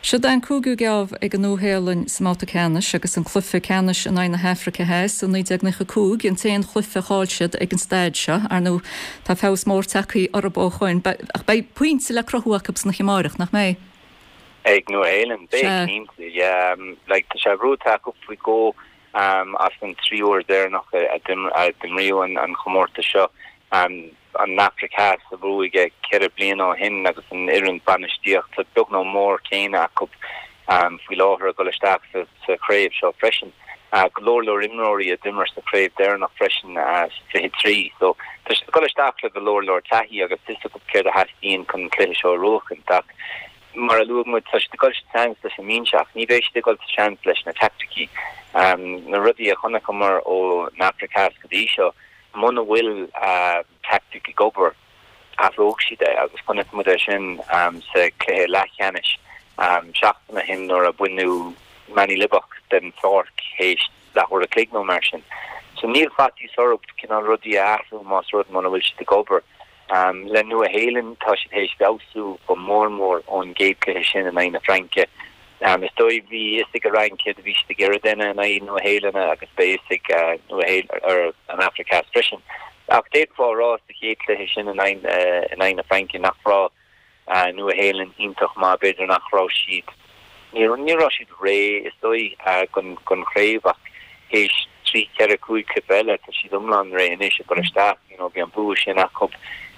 Siod é an cúigiú geábh ag an Nua-Shéalainn sa mbabhta ceannais agus an cluiche ceannais in aghaidh na hAfraice Theas i 1995 an t-aon chluiche a chaill siad ag an staid seo. Ar ndóigh, tá feabhas mór tagtha orthu ó shoin ach beidh pointe le cruthú acu san oíche amáireach, nach mbeidh? Ag Nua-Shéalainn, beidh, Sea. cinnte, yeah. Like, tá sé buaite acu faoi dhó as an trí uair deireanach a d'imríodh an chomórtas seo. An Afraic Theas a bhuaigh é ceithre bliana ó shin agus an fhoireann bainistíochta beag nó mór céanna acu faoi láthair ag dul isteach sa chraobh seo freisin. Go leor leor imreoirí a d'imir sa chraobh deireanach freisin sa 23. So tá siad ag dul isteach le go leor leor taithí agus fios acu céard a theastaíonn chun an cluiche seo a bhuachaint ach Mar a luaigh muid, tá siad ag dul sa tseans leis an mbinse ach ní bheidh siad ag dul sa seans leis na teaicticí. Na rudaí a chonaiceamar ón Afraic Theas go dtí seo, muna bhfuil teaictic ag obair, athróidh siad é agus chonaic muid é sin sa chluiche leathcheannais seachtain ó shin nuair a baineadh Manie Libbok den pháirc théis leathuair a chloig nó mar sin. So níl faitíos orthu cineál rudaí a athrú más rud muna bhfuil siad ag obair. Le Nua Shéalainn, tá siad théis feabhsú go mór mór ón gcéad cluiche sin in aghaidh na Fraince. Is dóigh bhí fhios ag an Fhrainc céard a bhí siad ag iarraidh déanamh in aghaidh Nua Shéalainne agus beidh fhios ag Nua Shéalainn, an Afraic Theas freisin. Ach d'fhéadfá a rá sa chéad cluiche sin in aghaidh na Fraince nach raibh Nua-Shéalainn iontach maith, b'fhéidir nach raibh siad, ní raibh siad réidh is dóigh don chraobh ach théis trí, ceithre, cúig chluiche eile tá siad iomlán réidh anois ag dul isteach. You know bhí an bua sin acu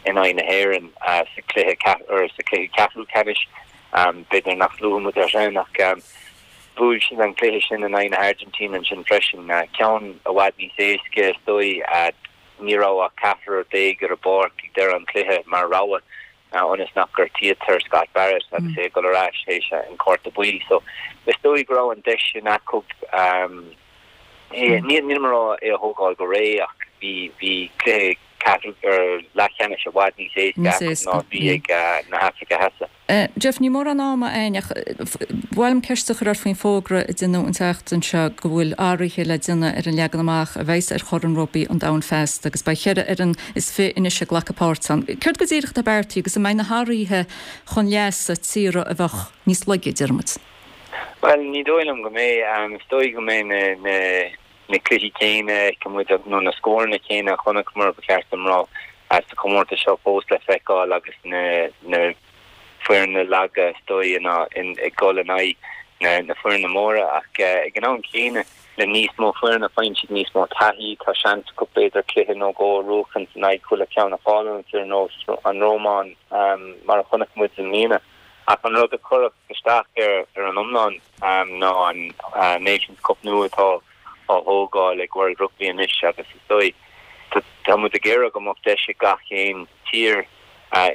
in aghaidh na hÉireann sa chluiche sa chluiche ceathrú ceannais, b'fhéidir nach luaigh muid é sin ach bhuaigh siad an cluiche sin in aghaidh na hAirgintíne ansin freisin, ceann i bhfad níos éasca is dóigh. Ní raibh ach ceathrar déag ar an bpáirc ag deireadh an chluiche mar rogha ionas nach gortaítear Scott Barrett agus é ag dul ar ais théis an cárta buí. So is dóigh go raibh an deis sin acu é, nílim ag rá é a thógáil go réidh ach bhí bhí cluiche ceathrú ar leathcheannais i bhfad níos éasca acu ná a bhí ag na hAfraice Theas. Jeff, níl mórán ama againn ach ba mhaith liom ceist a chur ort faoin bhfógra a deineadh an tseachtain seo go bhfuil athruithe le déanamh ar an leagan amach a bheas ar Chorn Rugbaí an Domhain feasta agus beidh cheithre fhoireann is fi anois ag glacadh páirt ann. Céard go díreach atá beartaithe agus an mbeidh na hathruithe chun leasa tíortha a bheadh níos laige, deir muid? Bhuel, ní dóigh liom go mbeidh. Is dóigh go mbeidh na na cluichí céanna a fheicfidh muid, nó na scóranna céanna a chonaiceamar, ba cheart dom rá, sa chomórtas seo fós le feiceáil agus na foirne laga, is dóigh, ag dul in aghaidh na foirne móra. Ach ag an am céanna, le níos mó foirne, faigheann siad níos mó taithí, tá seans acu b'fhéidir cluiche nó dhó a bhuachan in aghaidh chuile cheann a cháileann ar nós an Rómáin, mar a chonaic muid i mbliana. Ach an rud a chuirfeadh isteach ar an iomlán ná an Nations Cup nua atá. á thógáil ag World Rugby anois agus is dóigh tá muid ag iarraidh go mbeadh deis ag gach aon tír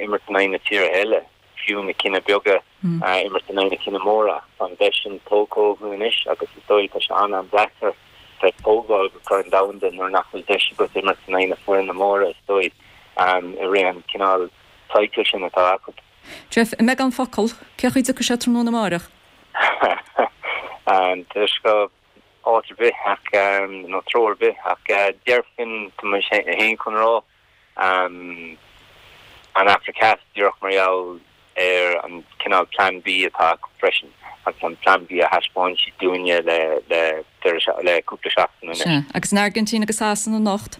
imirt in aghaidh na tíortha eile, fiú na cinn beaga imirt in aghaidh na cinn móra. Tá an deis sin tógtha uathu anois agus is dóigh tá sé an-an-deacair bheith ag tógáil go Corn Domhanda nuair nach bhfuil deis agat imirt in aghaidh na foirne móra is dóigh i rith an cineál cycle sin atá acu. Jeff, i mbeagán focal, cén chaoi a dtiocfaidh sé tráthnóna amáireach? Tá sé áit ar bith ach, nó treo ar bith ach déarfainn, tá mé féin chun rá, an Afraic Theas díreach mar gheall ar an cineál Plan B atá acu freisin agus an Plan B a thaispeáin siad dúinne le le cúpla seachtain anois. Sea, agus an Airgintín agus Sasana anocht?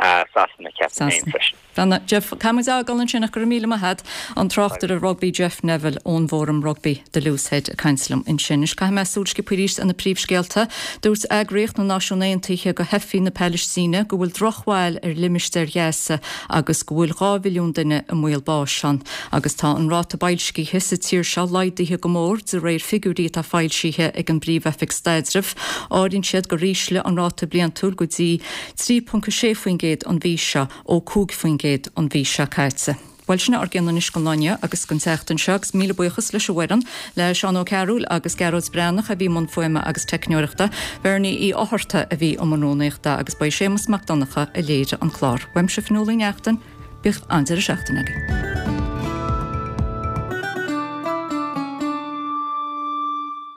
Sasana, ceapaim féin freisin. Bhuel, Jeff, caithfidh muid a fhágáil ansin ach go raibh míle maith agat, an tráchtaire rugbaí Jeff Neville ón bhfóram rugbaí The Loose Head ag caint liom ansin. Anois caithfidh mé súil sciobtha arís ar na príomhscéalta. Dúirt Eagraíocht na Náisiún Aontaithe go theifigh na Palaistíne go bhfuil drochbhail ar limistéar Ghaza agus go bhfuil 2 mhilliún duine i mbaol báis ann. Agus tá an ráta boilscithe sa tír seo laghdaithe go mór de réir figiúirí atá foilsithe ag an bPríomh-Oifig Staidrimh. Áiríonn siad gur ísle an ráta bliantúil go dtí 3.6% an mhí seo ó 5% an mhí seo caite. Bhuel, sin ár gcion anois don lá inniu agus don tseachtain seo agus míle buíochas leis an bhfoireann, le Seán Ó Cearúil agus Gearóid Breathnach a bhí i mbun fuaime agus teicneoireachta, Bernie Uí Fhátharta a bhí i mbun rúnaíochta agus ba é Séamus Mac Donncha a léirigh an clár. Uaimse Fionnuala Ní Neachtain, bíodh an-deireadh seachtaine agaibh.